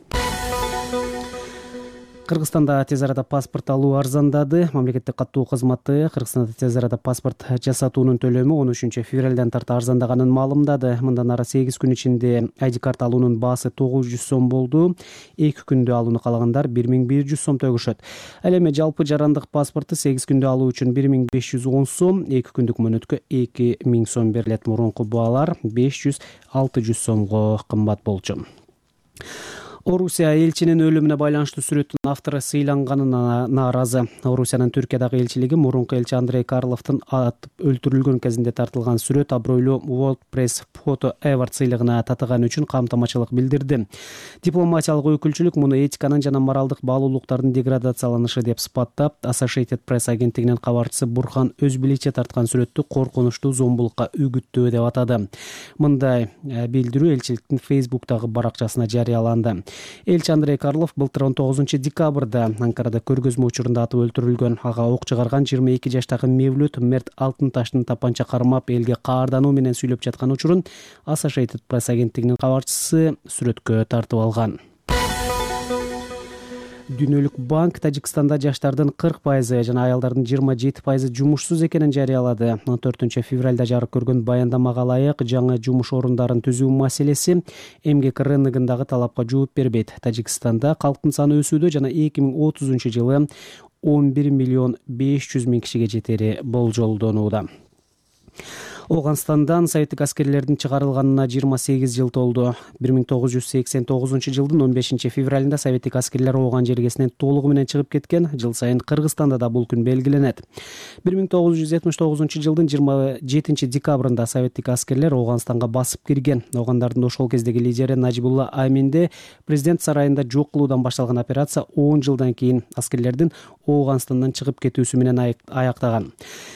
Кыргызстанда тез арада паспорт алуу арзандады. Мамлекеттик каттоо кызматы Кыргызстанда тез арада паспорт жасатуунун төлөмү 13 февралдан тарта арзандаганын маалымдады. Мындан ары 8 күн ичинде ID карт алуунун баасы 900 сом болду. 2 күндө алууну каалагандар 1100 сом төгүшөт. Ал эми жалпы жарандык паспорту 8 күндө алуу үчүн 1510 сом, 2 күндүк мөөнөткө 2000 сом берилет. Мурунку баалар 500-600 сомго кымбат болчу. Орусия элчинин өлүмүнө байланыштуу сүрөттүн автору сыйланганына нааразы. Орусиянын Түркиядагы элчилиги мурунку элчи Андрей Карловдун атып өлтүрүлгөн кезинде тартылган сүрөт абройлуу World Press Photo Award сыйлыгына татыганы үчүн камтамачылык билдирди. Дипломатиялык өкүлчүлүк муну этиканын жана моралдык баалуулуктардын деградацияланышы деп сыпаттап, Associated Press агенттигинин кабарчысы Бурхан Өзбиличе тарткан сүрөттү коркунучтуу зомбулукка үгүттөө деп атады. Мындай билдирүү элчиликтин Facebook'тагы баракчасына жарыяланды. Элчи Андрей Карлов былтыр 19 декабрда Анкарада көргөзмө учурунда атып өлтүрүлгөн. Ага ок чыгарган 22 жаштагы Мевлют Мерт Алтынташтын тапанча кармап элге каардануу менен сүйлөп жаткан учурун Associated Press агенттигинин кабарчысы сүрөткө тартып алган. Дүйнөлүк банк Тажикстанда жаштардын 40% жана аялдардын 27% жумушсуз экенин жарыялады. 14 февралда жарык көргөн баяндамага ылайык жаңы жумуш орундарын түзүү маселеси эмгек рыногундагы талапка жооп бербейт. Тажикстанда калктын саны өсүүдө жана 2030-жылы 11 миллион 500 миң кишиге жетери болжолдонууда. Оганстандан советтик аскерлердин чыгарылганына 28 жыл толду. 1989-жылдын 15 февралында советтик аскерлер Оган жергесинен толугу менен чыгып кеткен. Жыл сайын Кыргызстанда да бул күн белгиленет. 1979-жылдын 27 декабрында советтик аскерлер Оганстанга басып кирген. Огандардын ошол кездеги лидери Нажибулла Аминде президент сарайында жок кылуудан башталган операция 10 жылдан кийин аскерлердин Ооганстандан чыгып кетүүсү менен аяктаган.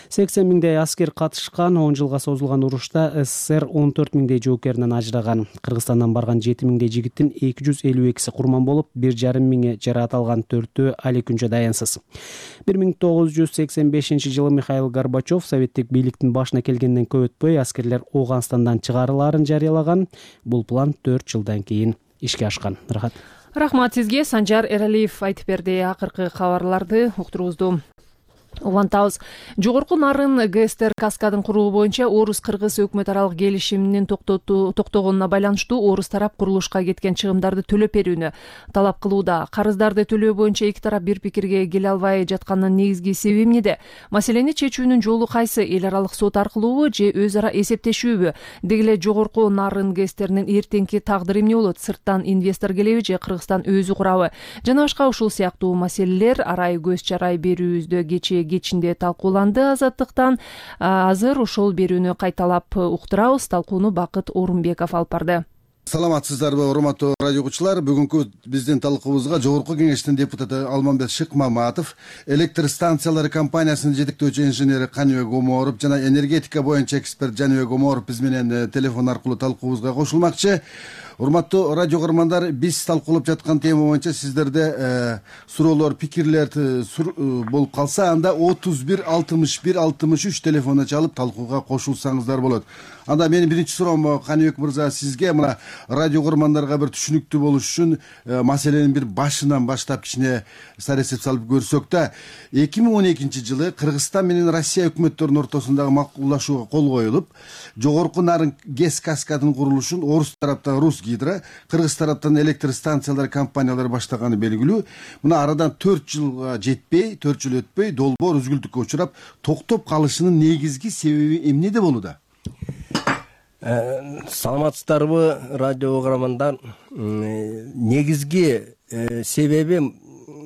80 миңдей аскер катышкан 10 жылга созулган урушта СССР 14 миңдей жоокеринен ажыраган. Кыргызстандан барган 7 миңдей жигиттин 252си курман болуп, 1,5 миңи жаракат алган, 4-өө али күнчө даянсыз. 1985 жылы Михаил Горбачев советтик бийликтин башына келгенден көп өтпөй аскерлер Ооганстандан чыгарылаарын жарыялаган. Бул план 4 жылдан кийин ишке ашкан. Рахмат сизге. Санжар Эралиев айтып берди. Акыркы кабарларды уктурубузду улантабыз. Жогорку Нарын ГСТР каскадын куруу боюнча орус-кыргыз өкмөт аралык келишиминин токтогонуна байланыштуу орус тарап курулушка кеткен чыгымдарды төлөп берүүнү талап кылууда. Карыздарды төлөө боюнча эки тарап бир пикирге келе албай жатканынын негизги себеби эмнеде? Маселени чечүүнүн жолу кайсы? Эл аралык сот аркылуубу же өз ара эсептешүүбү? Деги эле жогорку Нарын ГСТРнин эртеңки тагдыры эмне болот? Сырттан инвестор келеби же Кыргызстан өзү курабы? Жана башка ушул сыяктуу маселелер арай көз чарай берүүбүздө кечинде талкууланды Азаттыктан. Азыр ошол берүүнү кайталап уктурабыз. Талкууну Бакыт Орунбеков алып барды. Саламатсыздарбы, урматтуу радио угуучулар. Бүгүнкү биздин талкуубузга Жогорку Кеңештин депутаты Алмамбет Шыкмаматов, электр станциялары компаниясынын жетектөөчү инженери Каныбек Оморов жана энергетика боюнча эксперт Жаныбек Оморов биз менен телефон аркылуу талкуубузга кошулмакчы. Урматтуу радио көрөрмандар, биз талкуулап жаткан тема боюнча сиздерде суроолор, пикирлер болуп калса, анда 31 61 63 телефонуна чалып талкууга кошулсаңыздар болот. Анда менин биринчи суроом Каныбек мырза сизге, мына радио көрөрмандарга бир түшүнүктүү болуш үчүн маселенин бир башынан баштап кичине саресеп салып көрсөк да, 2012 жылы Кыргызстан менен Россия өкмөттөрүнүн ортосундагы макулдашууга кол коюлуп, Жогорку Нарын ГЭС каскадынын курулушун орус тараптан Русгидро, кыргыз тараптан электр станциялары компаниялары баштаганы белгилүү. Мына арадан 4 жылга жетпей, 4 жыл өтпөй долбоор үзгүлтүккө учурап, токтоп калышынын негизги себеби эмнеде болууда? Саламатсыздарбы, радио угармандар. Негизги себеби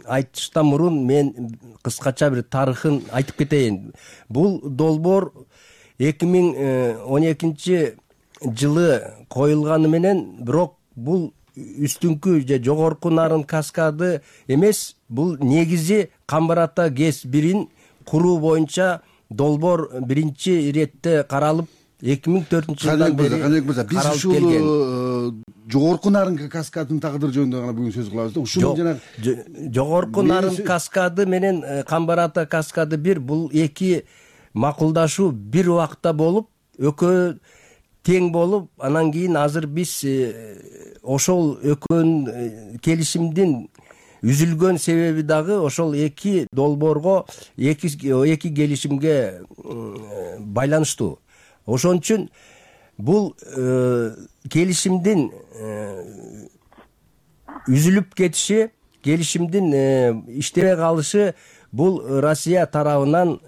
айтыштан мурун мен кыскача бир тарыхын айтып кетейин. Бул долбоор 2012 жылы коюлганы менен, бирок бул үстүңкү же Жогорку Нарын каскады эмес, бул негизи Камбар Ата ГЭС 1-ин куруу боюнча долбоор биринчи иретте каралып 2004 жылдан бери биз ушул Жогорку Нарын каскадынын тагдыры жөнүндө гана бүгүн сөз кылабыз да. Ушунун жана Жогорку Нарын каскады менен Камбар Ата каскады 1, бул эки макулдашуу бир убакта болуп, экөө тең болуп, анан кийин азыр биз ошол экөөнүн келишимдин үзүлгөн себеби дагы ошол эки долбоорго, эки келишимге байланыштуу. Ошон үчүн бул келишимдин үзүлүп кетиши, келишимдин иштебей калышы бул Россия тарабынан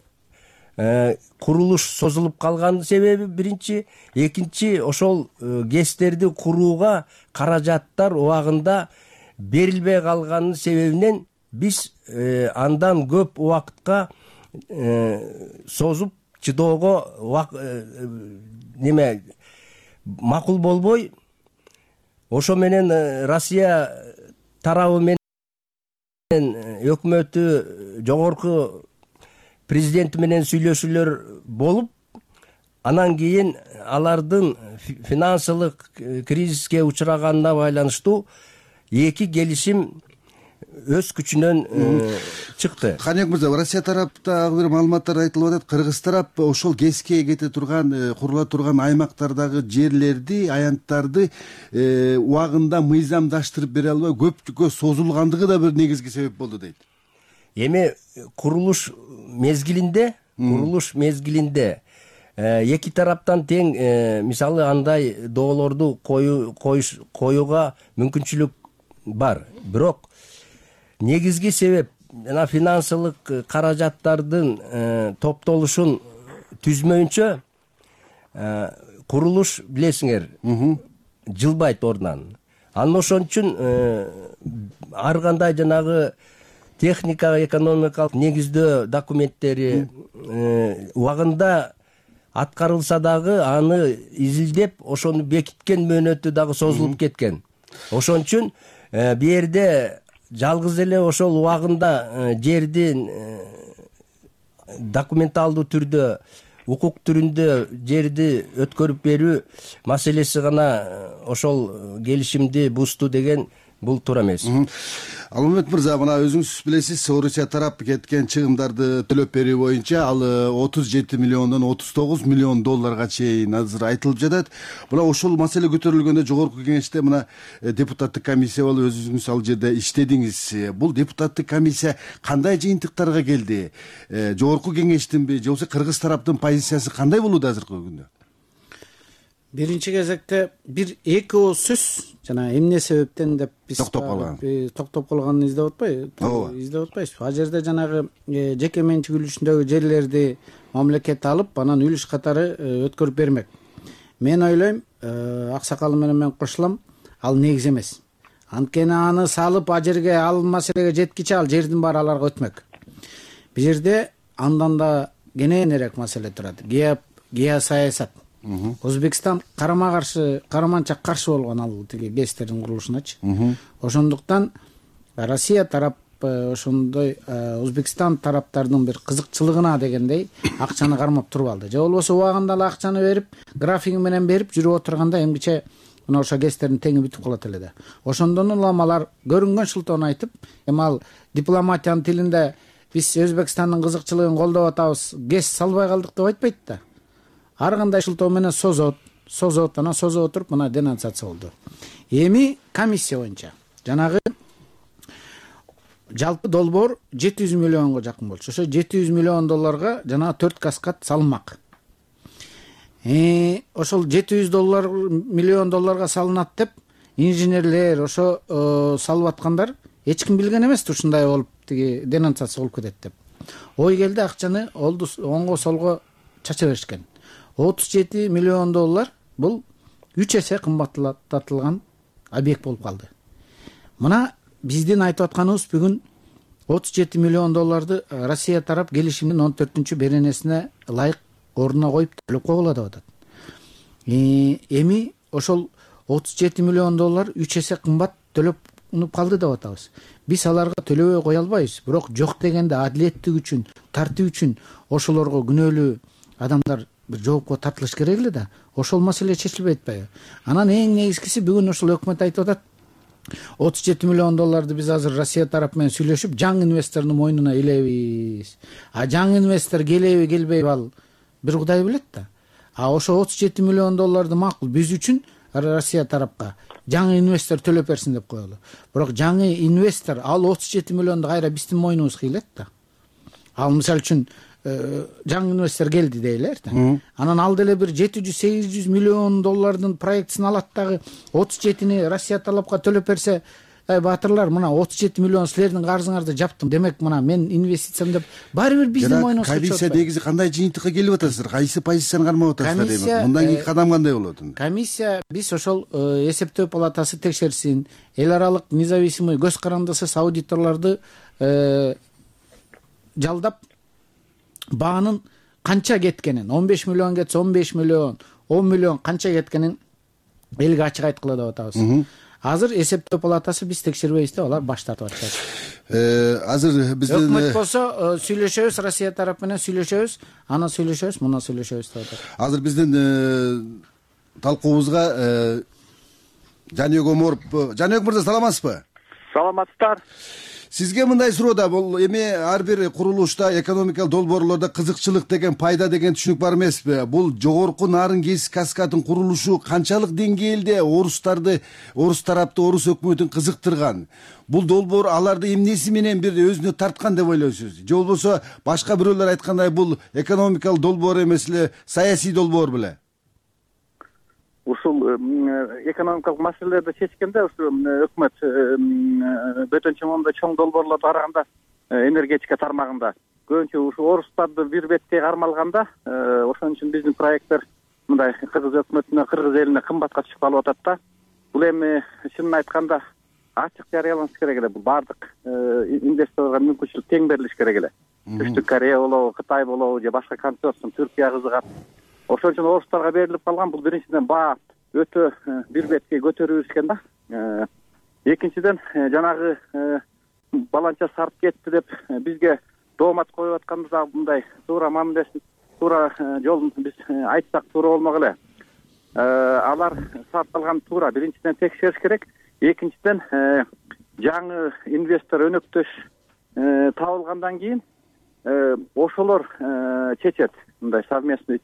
курулуш созулуп калган себеби биринчи. Экинчи, ошол ГЭСтерди курууга каражаттар убагында берилбей калганын себебинен биз андан көп убакытка созуп чыдоого макул болбой, ошо менен Россия тарабы менен өкмөтү жогорку президенти менен сүйлөшүүлөр болуп, анан кийин алардын финансылык кризиске учураганына байланыштуу эки келишим өз күчүнөн чыкты. Каныбек мырза, Россия тараптагы бир маалыматтар айтылып атат. Кыргыз тарап ошол ГЭСке кете турган, курула турган аймактардагы жерлерди, аянттарды убагында мыйзамдаштырып бере албай көпкө созулгандыгы да бир негизги себеп болду дейт. Эми курулуш мезгилинде эки тараптан тең, мисалы андай доолорду коюуга мүмкүнчүлүк бар. Бирок негизги себеп жана финансылык каражаттардын топтолушун түзмөйүнчө курулуш, билесиңер, жылбайт ордунан. Анан ошон үчүн ар кандай жанагы техника, экономикалык негиздөө документтери убагында аткарылса дагы аны изилдеп, ошону бекиткен мөөнөтү дагы созулуп кеткен. Ошон үчүн бу жерде жалгыз эле ошол убагында жердин документалдуу түрдө укук түрүндө жерди өткөрүп берүү маселеси гана ошол келишимди бузду деген бул туура эмес. Алмамбет мырза, мына өзүңүз билесиз, Орусия тарап кеткен чыгымдарды төлөп берүү боюнча ал 37 миллиондон 39 миллион долларга чейин азыр айтылып жатат. Мына ошол маселе көтөрүлгөндө жогорку кеңеште мына депутаттык комиссия болуп өзүңүз ал жерде иштедиңиз. Бул депутаттык комиссия кандай жыйынтыктарга келди? Жогорку кеңештинби же болбосо кыргыз тараптын позициясы кандай болууда азыркы күндө? Биринчи кезекте бир эки ооз сөз жана эмне себептен деп биз токтоп калганын издеп атпайбызбы? Ал жерде жанагы жеке менчик үлүшүндөгү жерлерди мамлекет алып, анан үлүш катары өткөрүп бермек. Мен ойлойм, аксакалы менен мен кошулам, ал негиз эмес. Анткени аны салып ал жерге, ал маселеге жеткиче ал жердин баары аларга өтмөк. Бул жерде андан да кененирээк маселе турат. Геосаясат. Өзбекстан караманча каршы болгон ал тиги ГЭСтердин курулушуначы. Ошондуктан Россия тарап ошондой Өзбекстан тараптардын бир кызыкчылыгына дегендей акчаны кармап туруп алды. Же болбосо убагында эле акчаны берип, графиги менен берип жүрүп отурганда эмгиче мына ошо ГЭСтердин теңи бүтүп калат эле да. Ошондон улам алар көрүнгөн шылтоону айтып, эми ал дипломатиянын тилинде биз Өзбекстандын кызыкчылыгын колдоп атабыз, ГЭС салбай калдык деп айтпайт да. Ар кандай шылтоо менен созот, анан созо отуруп мына денонсация болду. Эми комиссия боюнча жанагы жалпы долбоор 700 миллионго жакын болчу. Ошо 700 миллион долларга жанагы 4 каскад салынмак. Ошол 700 миллион долларга салынат деп инженерлер ошо салып аткандар эч ким билген эмес, ушундай болуп тиги денонсация болуп кетет деп. Ой келди, акчаны оңго солго чача беришкен. 37 миллион доллар бул 3 эсе кымбаттатылган объект болуп калды. Мына биздин айтып атканыбыз бүгүн 37 миллион долларды Россия тарап келишимдин 14-чү беренесине ылайык ордуна коюп төлөп койгула деп атат. Эми ошол 37 миллион доллар 3 эсе кымбат төлөп калды деп атабыз. Биз аларга төлөбөй кое албайбыз, бирок жок дегенде адилеттик үчүн, тартуу үчүн ошолорго күнөөлүү адамдар бир жоопко тартылыш керек эле да. Ошол маселе чечилбей атпайбы? Анан эң негизгиси бүгүн ошол өкмөт айтып атат. 37 миллион долларды биз азыр Россия тарап менен сүйлөшүп, жаңы инвестордун мойнуна илебиз. Жаңы инвестор келеби, келбейби ал бир Кудай билет да. Ошо 37 миллион долларды макул биз үчүн Россия тарапка жаңы инвестор төлөп берсин деп коелу. Бирок жаңы инвестор ал 37 миллионду кайра биздин мойнубузга илет да. Ал мисалы үчүн жаңы инвестор келди дейлер да. Анан ал деле бир 700-800 миллион доллардын проектисин алат дагы 37-ни Россия талапка төлөп берсе, баатырлар, мына 37 миллион силердин карызыңарды жаптым. Демек мына мен инвестициям деп баары бир биздин мойнубузга чыгып атпайбы? Комиссия негизи кандай жыйынтыкка келип атасыздар? Кайсы позицияны кармап атасыздар дейм. Мындан кийинки кадам кандай болот? Комиссия биз ошол эсептөө палатасы текшерсин, эл аралык независимый көз карандысыз аудиторлорду жалдап баанын канча кеткенин, 15 миллион кетсе 15 миллион, 10 миллион канча кеткенин элге ачык айткыла деп атабыз. Азыр эсептөө палатасы биз текшербейбиз деп алар баш тартып атышат. Азыр биздин өкмөт болсо сүйлөшөбүз, Россия тарап менен сүйлөшөбүз, ана сүйлөшөбүз, мына сүйлөшөбүз деп атат. Азыр биздин талкуубузга Жаныбек Оморов. Жаныбек мырза, саламатсызбы? Саламатсыздар. Сизге мындай суроо да, бул эми ар бир курулушта, экономикалык долбоорлордо кызыкчылык деген, пайда деген түшүнүк бар эмеспи? Бул жогорку нарын ГЭС каскадын курулушу канчалык деңгээлде орус тарапты, орус өкмөтүн кызыктырган? Бул долбоор аларды эмнеси менен бир өзүнө тарткан деп ойлойсуз? Же болбосо башка бирөөлөр айткандай бул экономикалык долбоор эмес эле, саясий долбоор беле? Ушул экономикалык маселелерди чечкенде ушу өкмөт бөтөнчө моундай чоң долбоорлорду караганда энергетика тармагында көбүнчө ушу орустарды бир беткей кармалганда, ошон үчүн биздин проекттер мындай кыргыз өкмөтүнө, кыргыз элине кымбатка түшүп калып атат да. Бул эми чынын айтканда ачык жарыяланыш керек эле. Бул баардык инвесторлорго мүмкүнчүлүк тең берилиш керек эле. Түштүк Корея болобу, Кытай болобу же башка консорциум, Түркия кызыгат. Ошон үчүн орустарга берилип калган. Бул биринчиден баа өтө бир беткей көтөрүп иришкен да. Экинчиден жанагы баланча сарп кетти деп бизге доомат коюп атканыбызда мындай туура мамилесин туура жолун биз айтсак туура болмок эле. Алар сарпталган туура. Биринчиден текшериш керек. Экинчиден жаңы инвестор өнөктөш табылгандан кийин ошолор чечет. Мындай совместный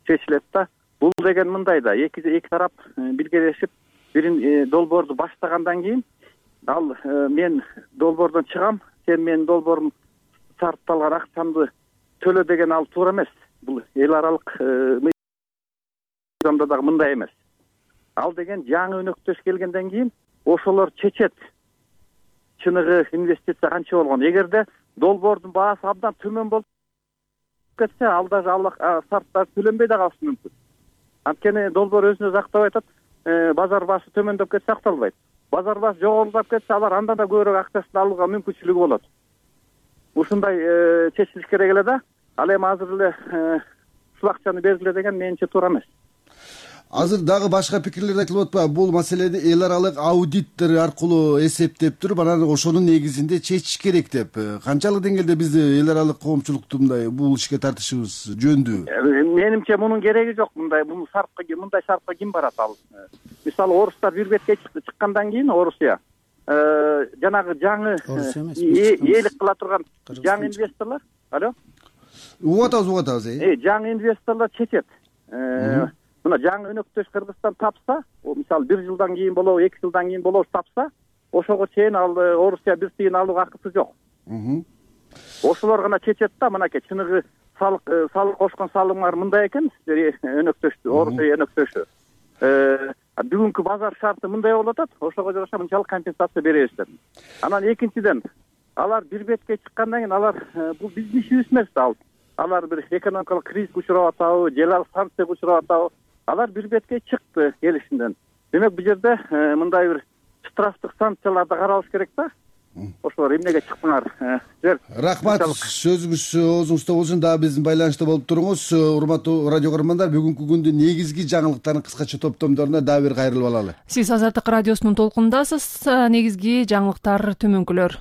чечилет да. Бул деген мындай да, эки тарап биргелешип бирин долбоорду баштагандан кийин ал мен долбоордон чыгам, сен менин долбоорум сарпталган акчамды төлө деген ал туура эмес. Бул эл аралык мыйзамда дагы мындай эмес. Ал деген жаңы өнөктөш келгенден кийин ошолор чечет. Чыныгы инвестиция канча болгон. Эгерде долбоордун баасы абдан төмөн болуп кетсе, ал даже сарптар төлөнбөй да калышы мүмкүн. Анткени долбоор өзүнө актап айтат, базар баасы төмөндөп кетсе акталбайт. Базар баасы жогорулап кетсе, алар андан да көбүрөөк акчасын алууга мүмкүнчүлүгү болот. Ушундай чечилиш керек эле да. Ал эми азыр эле ушул акчаны бергиле деген менимче туура эмес. Азыр дагы башка пикирлер айтылып атпайбы? Бул маселени эл аралык аудиттер аркылуу эсептеп туруп, анан ошонун негизинде чечиш керек деп. Канчалык деңгээлде биз эл аралык коомчулукту мындай бул ишке тартышыбыз жөндүү? Менимче мунун кереги жок. Мындай сарпка ким барат ал? Мисалы орустар бир бетке чыккандан кийин Орусия жанагы жаңы ээлик кыла турган жаңы инвесторлор, алло? Угуп атабыз. Жаңы инвесторлор чечет. Мына жаңы өнөктөш Кыргызстан тапса, мисалы 1 жылдан кийин болобу, 2 жылдан кийин болобу тапса, ошого чейин ал Орусия бир тыйын алууга акысы жок. Ошолор гана чечет да, мынакей чыныгы салык кошкон салымдар мындай экен, өнөктөштү, Орусия өнөктөшү. Бүгүнкү базар шарты мындай болуп атат, ошого жараша мынчалык компенсация беребиз деп. Анан экинчиден, алар бир бетке чыккандан кийин алар бул биздин ишибиз эмес да. Алар бир экономикалык кризиске учурап атабы, же санкцияга учурап атабы. Алар бир бетке чыкты келишимден. Демек бул жерде мындай бир штрафтык санкцияларды каралыш керек да. Ошолор эмнеге чыкпаңар? Рахмат, сөзүңүз оозуңузда болсун. Дагы биздин байланышта болуп туруңуз. Урматтуу радио көрөрмандар, бүгүнкү күндүн негизги жаңылыктарын кыскача топтомдоруна дагы бир кайрылып алалы. Сиз Азаттык радиосунун толкунундасыз. Негизги жаңылыктар төмөнкүлөр.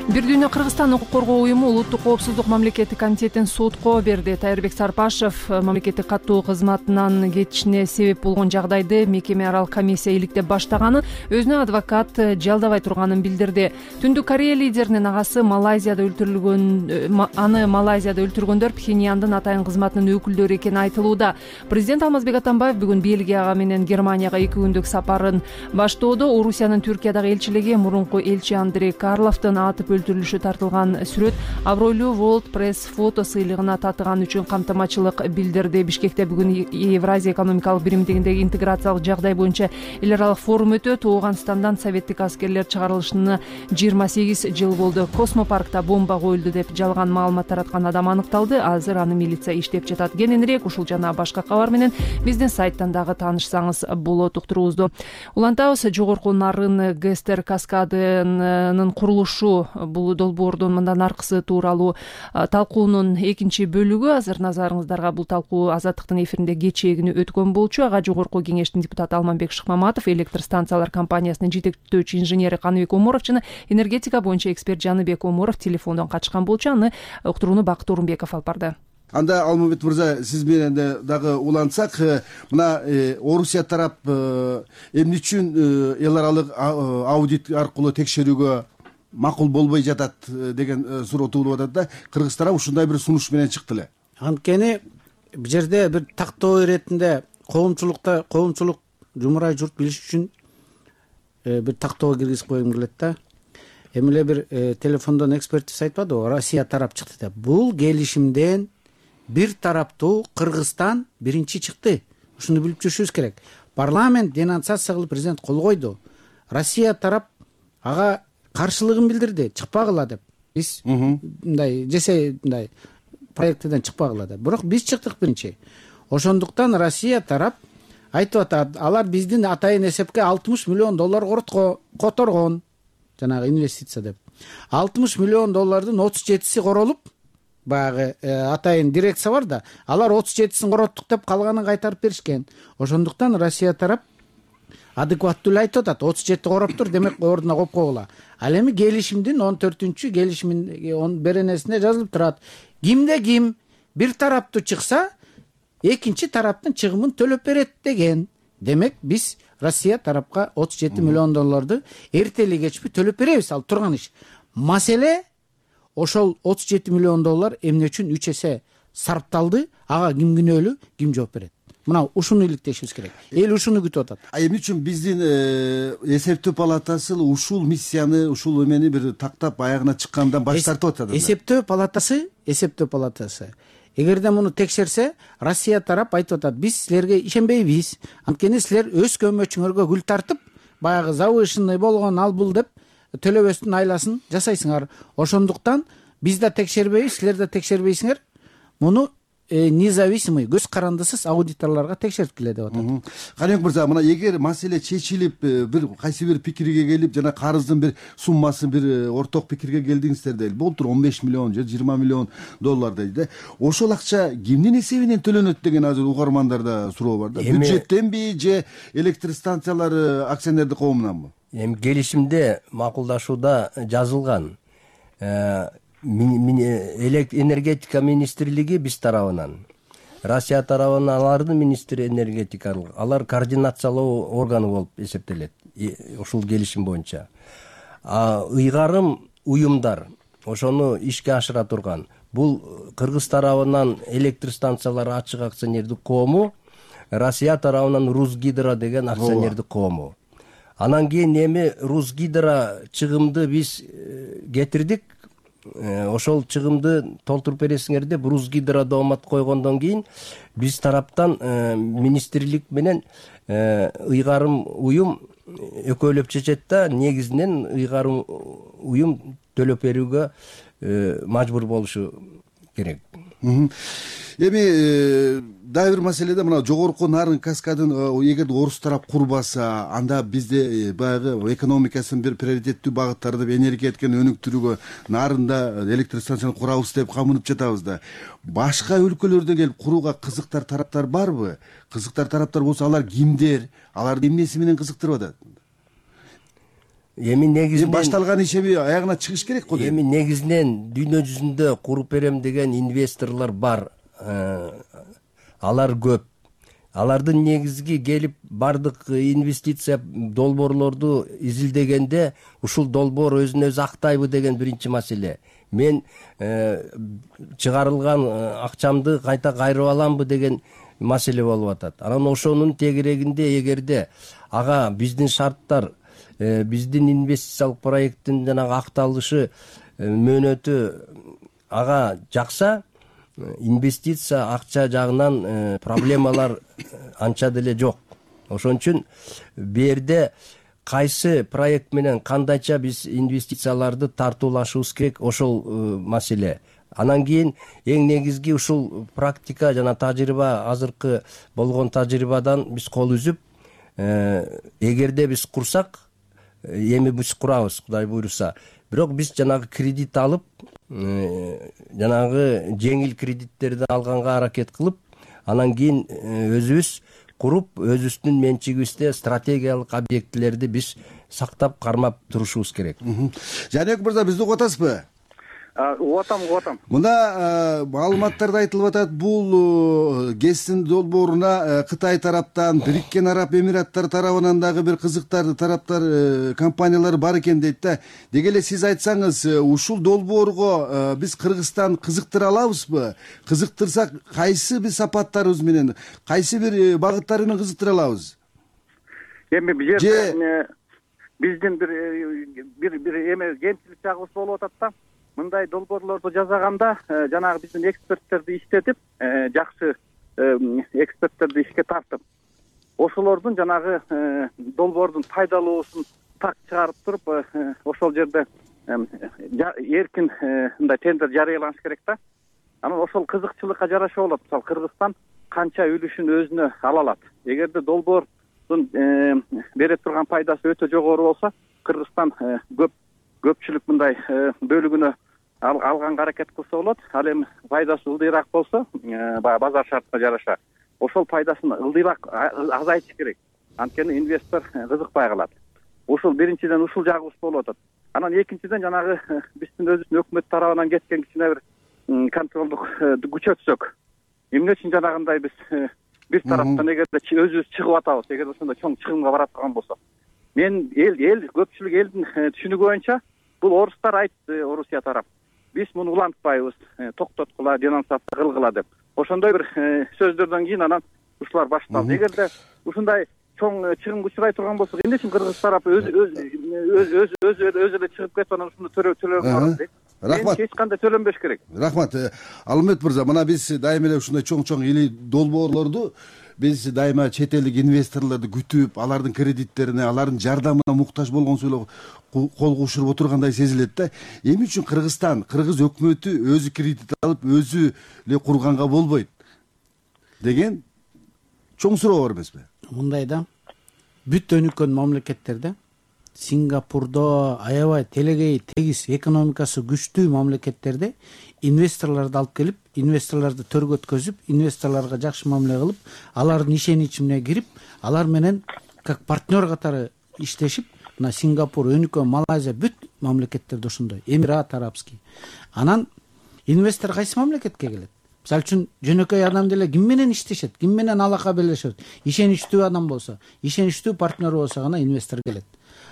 Бир дүйнө Кыргызстан укук коргоо уюму Улуттук коопсуздук мамлекеттик комитетин сотко берди. Тайырбек Сарпашев мамлекеттик каттоо кызматынан кетишине себеп болгон жагдайды мекеме аралык комиссия иликтеп баштаганын, өзүнө адвокат жалдабай турганын билдирди. Түндүк Корея лидеринин агасы Малайзияда өлтүргөндөр Пхеньяндын атайын кызматынын өкүлдөрү экени айтылууда. Президент Алмазбек Атамбаев бүгүн Бельгияга менен Германияга 2 күндүк сапарын баштоодо. Орусиянын Түркиядагы элчилиги мурунку элчи Андрей Карловдун атып өлтүрүлүшү тартылган сүрөт абройлуу World Press фото сыйлыгына татыган үчүн камтамачылык билдирди. Бишкекте бүгүн Евразия экономикалык биримдигиндеги интеграциялык жагдай боюнча эл аралык форум өтөт. Ооганстандан советтик аскерлер чыгарылышына 28 жыл болду. Космопаркта бомба коюлду деп жалган маалымат тараткан адам аныкталды. Азыр аны милиция иштеп жатат. Кененирээк ушул жана башка кабар менен биздин сайттан дагы таанышсаңыз болот. Уктуруубузду улантабыз. Жогорку Нарын ГСТР каскадынын курулушу бул долбоордун мындан аркысы тууралуу талкуунун экинчи бөлүгү. Азыр назарыңыздарга бул талкуу Азаттыктын эфиринде кечээ өткөн болчу. Ага жогорку кеңештин депутаты Алманбек Шыкмаматов, электр станциялар компаниясынын жетектөөчү инженери Каныбек Оморов жана энергетика боюнча эксперт Жаныбек Оморов телефондон катышкан болчу. Аны уктурууну Бакыт Орунбеков алып барды. Анда Алмамбет мырза, сиз менен дагы улантсак, мына Орусия тарап эмне үчүн эл аралык аудит аркылуу текшерүүгө макул болбой жатат деген суроо туулуп атат да. Кыргыз тарап ушундай бир сунуш менен чыкты эле. Анткени бул жерде бир тактоо иретинде коомчулук жумурай журт билиш үчүн бир тактоого киргизип койгум келет да. Эми эле бир телефондон экспертиз айтпадыбы, Россия тарап чыкты деп. Бул келишимден бир тараптуу Кыргызстан биринчи чыкты. Ушуну билип жүрүшүбүз керек. Парламент денонсация кылып президент кол койду. Россия тарап ага каршылыгын билдирди, чыкпагыла деп. Биз мындай жесе мындай проектиден чыкпагыла деп. Бирок биз чыктык биринчи. Ошондуктан Россия тарап айтып атат, алар биздин атайын эсепке $60 миллион которгон, жанагы инвестиция деп. $60 миллион 37си королуп, баягы атайын дирекция бар да, алар 37син короттук деп калганын кайтарып беришкен. Ошондуктан Россия тарап адекваттуу эле айтып атат, 37 короптур, демек ордуна коюп койгула. Ал эми келишимдин 14-чү келишимдин беренесинде жазылып турат. Кимде ким бир тараптуу чыкса, экинчи тараптын чыгымын төлөп берет деген. Демек биз Россия тарапка 37 миллион долларды эртели кечпи төлөп беребиз. Ал турган иш. Маселе ошол 37 миллион доллар эмне үчүн 3 эсе сарпталды, ага ким күнөөлүү, ким жооп берет. Мына ушуну иликтешибиз керек. Эл ушуну күтүп атат. Эмне үчүн биздин эсептөө палатасы ушул миссияны, ушул эмени бир тактап аягына чыккандан баш тартып атат? Эсептөө палатасы эгерде муну текшерсе, Россия тарап айтып атат, биз силерге ишенбейбиз. Анткени силер өз көмөчүңөргө гүл тартып, баягы завышенный болгон ал бул деп төлөбөстүн айласын жасайсыңар. Ошондуктан биз да текшербейбиз, силер да текшербейсиңер. Муну независимый, көз карандысыз аудиторлорго текшерткиле деп атат. Каныбек мырза, мына эгер маселе чечилип, бир кайсы бир пикирге келип, жана карыздын бир суммасын бир орток пикирге келдиңиздер дейли. Болтур 15 миллион же 20 миллион доллар дейли да. Ошол акча кимдин эсебинен төлөнөт деген азыр угармандарда суроо бар да. Бюджеттенби же электр станциялары акционердик коомунанбы? Эми келишимде макулдашууда жазылган. Энергетика министрлиги биз тарабынан, Россия тарабынан алардын министри энергетикалык, алар координациялоо органы болуп эсептелет ушул келишим боюнча. Ыйгарым уюмдар ошону ишке ашыра турган. Бул Кыргыз тарабынан электр станциялары ачык акционердик коому, Россия тарабынан Русгидро деген акционердик коому. Анан кийин эми Русгидро чыгымды биз кетирдик. Ошол чыгымды толтуруп бересиңер деп Русгидро доомат койгондон кийин биз тараптан министрлик менен ыйгарым уюм экөөлөп чечет да, негизинен ыйгарым уюм төлөп берүүгө мажбур болушу керек. Эми дагы бир маселеде мына жогорку нарын каскадын эгерде орус тарап курбаса, анда бизде баягы экономикасын бир приоритеттүү багыттары деп энергетиканы өнүктүрүүгө нарында электр станцияны курабыз деп камынып жатабыз да. Башка өлкөлөрдөн келип курууга кызыктар тараптар барбы? Кызыктар тараптар болсо алар кимдер? Аларды эмнеси менен кызыктырып атат? Эми негизинен башталган иш эми аягына чыгыш керек го. Эми негизинен дүйнө жүзүндө куруп берем деген инвесторлор бар. Алар көп. Алардын негизги келип бардык инвестиция долбоорлорду изилдегенде ушул долбоор өзүн өзү актайбы деген биринчи маселе. Мен чыгарылган акчамды кайта кайрып аламбы деген маселе болуп атат. Анан ошонун тегерегинде эгерде ага биздин шарттар, биздин инвестициялык проекттин жанагы акталышы мөөнөтү ага жакса, инвестиция акча жагынан проблемалар анча деле жок. Ошон үчүн берде кайсы проект менен кандайча биз инвестицияларды тартуулашыбыз керек, ошол маселе. Анан кийин эң негизги ушул практика жана тажрыйба, азыркы болгон тажрыйбадан биз кол үзүп, эгерде биз курсак, эми биз курабыз, Кудай буйруса. Бирок биз жанагы кредит алып, жанагы жеңил кредиттерди алганга аракет кылып, анан кийин өзүбүз куруп, өзүбүздүн менчигибизде стратегиялык объектилерди биз сактап, кармап турушубуз керек. Жанек мырза, бизди угуп атасызбы? Угуп атам. Мында маалыматтарда айтылып атат, бул ГЭСтин долбооруна Кытай тараптан, Бириккен Араб Эмираттары тарабынан дагы бир кызыктар тараптар, компаниялар бар экен дейт да. Деги эле сиз айтсаңыз, ушул долбоорго биз Кыргызстан кызыктыра алабызбы? Кызыктырсак, кайсы бир сапаттарыбыз менен, кайсы бир багыттары менен кызыктыра алабыз? Эми бул жерде биздин бир эме кемчилик жагыбыз болуп атат да. Мындай долбоорлорду жасаганда жанагы биздин эксперттерди иштетип, жакшы эксперттерди ишке тартып, ошолордун жанагы долбоордун пайдалуусун так чыгарып туруп, ошол жерде эркин мындай тендер жарыяланыш керек да. Анан ошол кызыкчылыкка жараша болот. Мисалы Кыргызстан канча үлүшүн өзүнө ала алат. Эгерде долбоордун бере турган пайдасы өтө жогору болсо, Кыргызстан көпчүлүк мындай бөлүгүнө алганга аракет кылса болот. Ал эми пайдасы ылдыйраак болсо, базар шартына жараша ошол пайдасын ылдыйраак азайтыш керек. анткени инвестор кызыкпай калат. Ушул биринчиден ушул жагыбыз болуп атат. Анан экинчиден жанагы биздин өзүбүздүн өкмөт тарабынан кеткен кичине бир контролдук күчөтсөк, эмне үчүн жанагындай биз бир тараптан эгерде өзүбүз чыгып атабыз, эгерде ошондой чоң чыгымга барат турган болсо, мен эл көпчүлүк элдин түшүнүгү боюнча бул орустар айтты, Орусия тарап, биз муну улантпайбыз, токтоткула, денонсация кылгыла деп. Ошондой бир сөздөрдөн кийин анан ушулар башталды. Эгерде ушундай чоң чыгымга учурай турган болсок, эмне үчүн кыргыз тарапы өзү эле чыгып кетип анан ушуну төлөп дейт. Рахмат. Эч кандай төлөнбөш керек. Рахмат. Алмет мырза, мына биз дайыма эле ушундай чоң или долбоорлорду биз дайыма чет элдик инвесторлорду күтүп, алардын кредиттерине, алардын жардамына муктаж болгонсу эле кол кушуруп отургандай сезилет да. Эмне үчүн Кыргызстан, кыргыз өкмөтү өзү кредит алып, өзү эле курганга болбойт деген чоң суроо бар эмеспи? Мындай да, бүт өнүккөн мамлекеттерде, Сингапурдо, аябай телегей тегиз экономикасы күчтүү мамлекеттерде инвесторлорду алып келип, инвесторлорду төргө өткөзүп, инвесторлорго жакшы мамиле кылып, алардын ишеничине кирип, алар менен как партнер катары иштешип, мына Сингапур, өнүккөн Малайзия, бүт мамлекеттерде ошондой, Эмират Арабский. Анан инвестор кайсы мамлекетке келет? Мисалы үчүн жөнөкөй адам деле ким менен иштешет, ким менен алака белешет? Ишеничтүү адам болсо, ишеничтүү партнер болсо гана инвестор келет.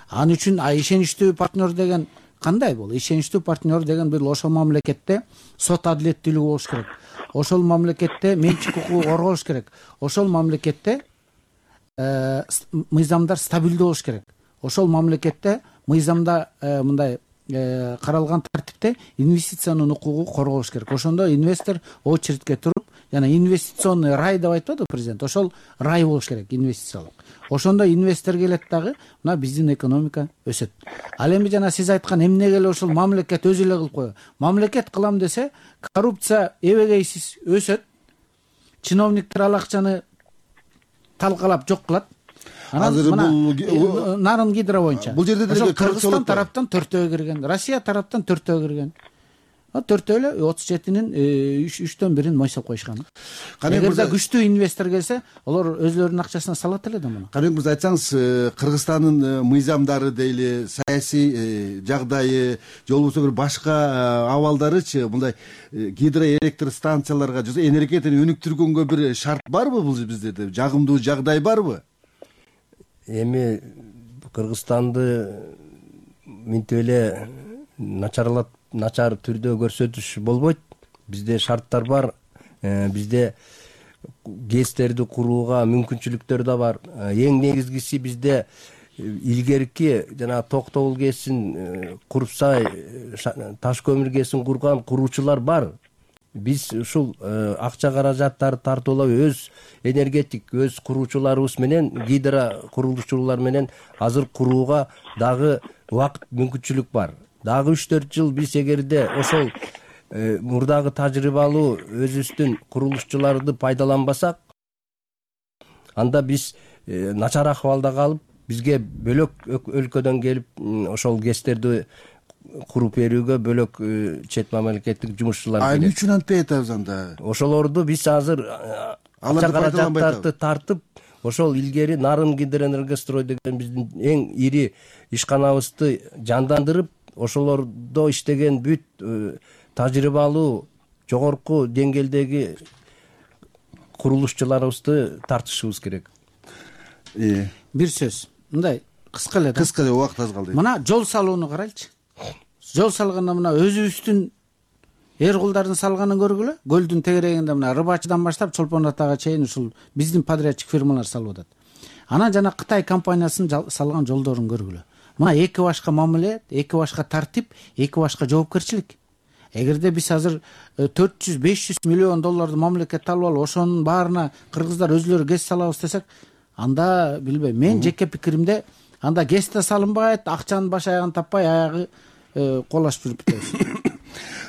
Ал үчүн ишеничтүү партнер деген кандай бул? Ишеничтүү партнер деген бир ошол мамлекетте сот адилеттүүлүгү болуш керек. Ошол мамлекетте менчик укугу корголуш керек. Ошол мамлекетте мыйзамдар стабилдүү болуш керек. Ошол мамлекетте мыйзамда мындай каралган тартипте инвестициянын укугу корголуш керек. Ошондо инвестор очередке туруп, жана инвестиционный рай деп айтпадыбы президент? Ошол рай болуш керек, инвестициялык. Ошондо инвестор келет дагы, мына биздин экономика өсөт. Ал эми жана сиз айткан эмнеге эле ошол мамлекет өзү эле кылып коёбу? Мамлекет кылам десе, коррупция эбегейсиз өсөт. Чиновниктер ал акчаны талкалап жок кылат. Азыр бул Нарын Гидро боюнча. Бул жерде деле Кыргызстан тараптан 4-өө кирген, Россия тараптан 4-өө кирген. 4-өө эле 37-нин 3/1 мойсоп койушкан. Эгерде күчтүү инвестор келсе, алар өзлөрүнүн акчасына салат эле да муну. Каныбек мырза, айтсаңыз, Кыргызстандын мыйзамдары дейли, саясий жагдайы, же болбосо бир башка абалдарычы, мындай гидроэлектр станцияларга, же энергетиканы өнүктүргөнгө бир шарт барбы бул биздерде? Жагымдуу жагдай барбы? Эми Кыргызстанды мынтип эле начар түрдө көрсөтүш болбойт. Бизде шарттар бар, бизде ГЭСтерди курууга мүмкүнчүлүктөр да бар. Эң негизгиси бизде илгерки жана Токтогул ГЭСин, Курпсай таш көмүр ГЭСин курган куруучулар бар. Биз ушул акча каражаттарды тартуулап өз энергетик, өз куруучуларыбыз менен, гидро курулушчулар менен азыр курууга дагы убакыт, мүмкүнчүлүк бар. Дагы 3-4 жыл биз эгерде ошол мурдагы тажрыйбалуу өзүбүздүн курулушчуларды пайдаланбасак, анда биз начар акыбалда калып, бизге бөлөк өлкөдөн келип ошол ГЭСтерди куруп берүүгө бөлөк чет мамлекеттик жумушчулар келет. Эмне үчүн антпай атабыз анда? Ошолорду биз азыр акча каражаттарды тартып, ошол илгери Нарын Гидроэнергострой деген биздин эң ири ишканабызды жандандырып, ошолордо иштеген бүт тажрыйбалуу жогорку деңгээлдеги курулушчуларыбызды тартышыбыз керек. Бир сөз, мындай кыска эле да. Кыска эле, убакыт аз калды. Мына жол салууну карайлычы. Жол салганда мына өзүбүздүн эр кулдардын салганын көргүлө. Көлдүн тегерегинде мына Рыбачыдан баштап Чолпон Атага чейин ушул биздин подрядчик фирмалар салып атат. Анан жана Кытай компаниясынын салган жолдорун көргүлө. Мына эки башка мамиле, эки башка тартип, эки башка жоопкерчилик. Эгерде биз азыр 400-500 миллион долларды мамлекет алып алып, ошонун баарына кыргыздар өзлөрү ГЭС салабыз десек, анда билбейм, мен жеке пикиримде анда ГЭС да салынбайт, акчанын баш аягын таппай, аягы колашып жүрүп кетебиз.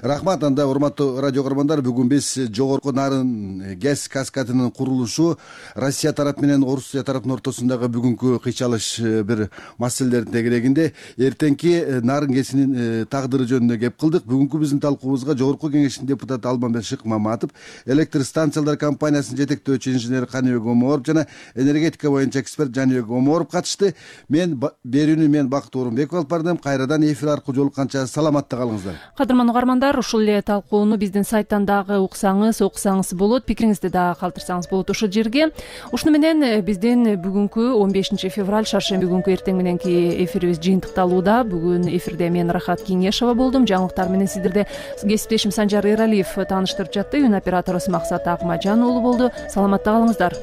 Рахмат. Анда урматтуу радио көрөрмандар, бүгүн биз жогорку нарын газ каскадынын курулушу, Россия тарап менен Орусия тарапынын ортосундагы бүгүнкү кыйчалыш бир маселелердин тегерегинде эртеңки нарын гэсинин тагдыры жөнүндө кеп кылдык. Бүгүнкү биздин талкуубузга Жогорку Кеңештин депутаты Алмамбет Шыкмаматов, электр станциялар компаниясынын жетектөөчү инженери Каныбек Оморов жана энергетика боюнча эксперт Жаныбек Оморов катышты. Берүүнү Бакыт Орунбеков алып бардым. Кайрадан эфир аркылуу жолукканча саламатта калыңыздар. Кадырман угармандар, ушул эле талкууну биздин сайттан дагы окусаңыз болот, пикириңизди дагы калтырсаңыз болот ушул жерге. Ушуну менен биздин бүгүнкү 15 февраль шаршемби күнкү эртең мененки эфирибиз жыйынтыкталууда. Бүгүн эфирде мен Рахат Кеңешова болдум. Жаңылыктар менен сиздерде кесиптешим Санжар Эралиев тааныштырып жатты. Үн операторубуз Максат Акмажан уулу болду. Саламатта калыңыздар.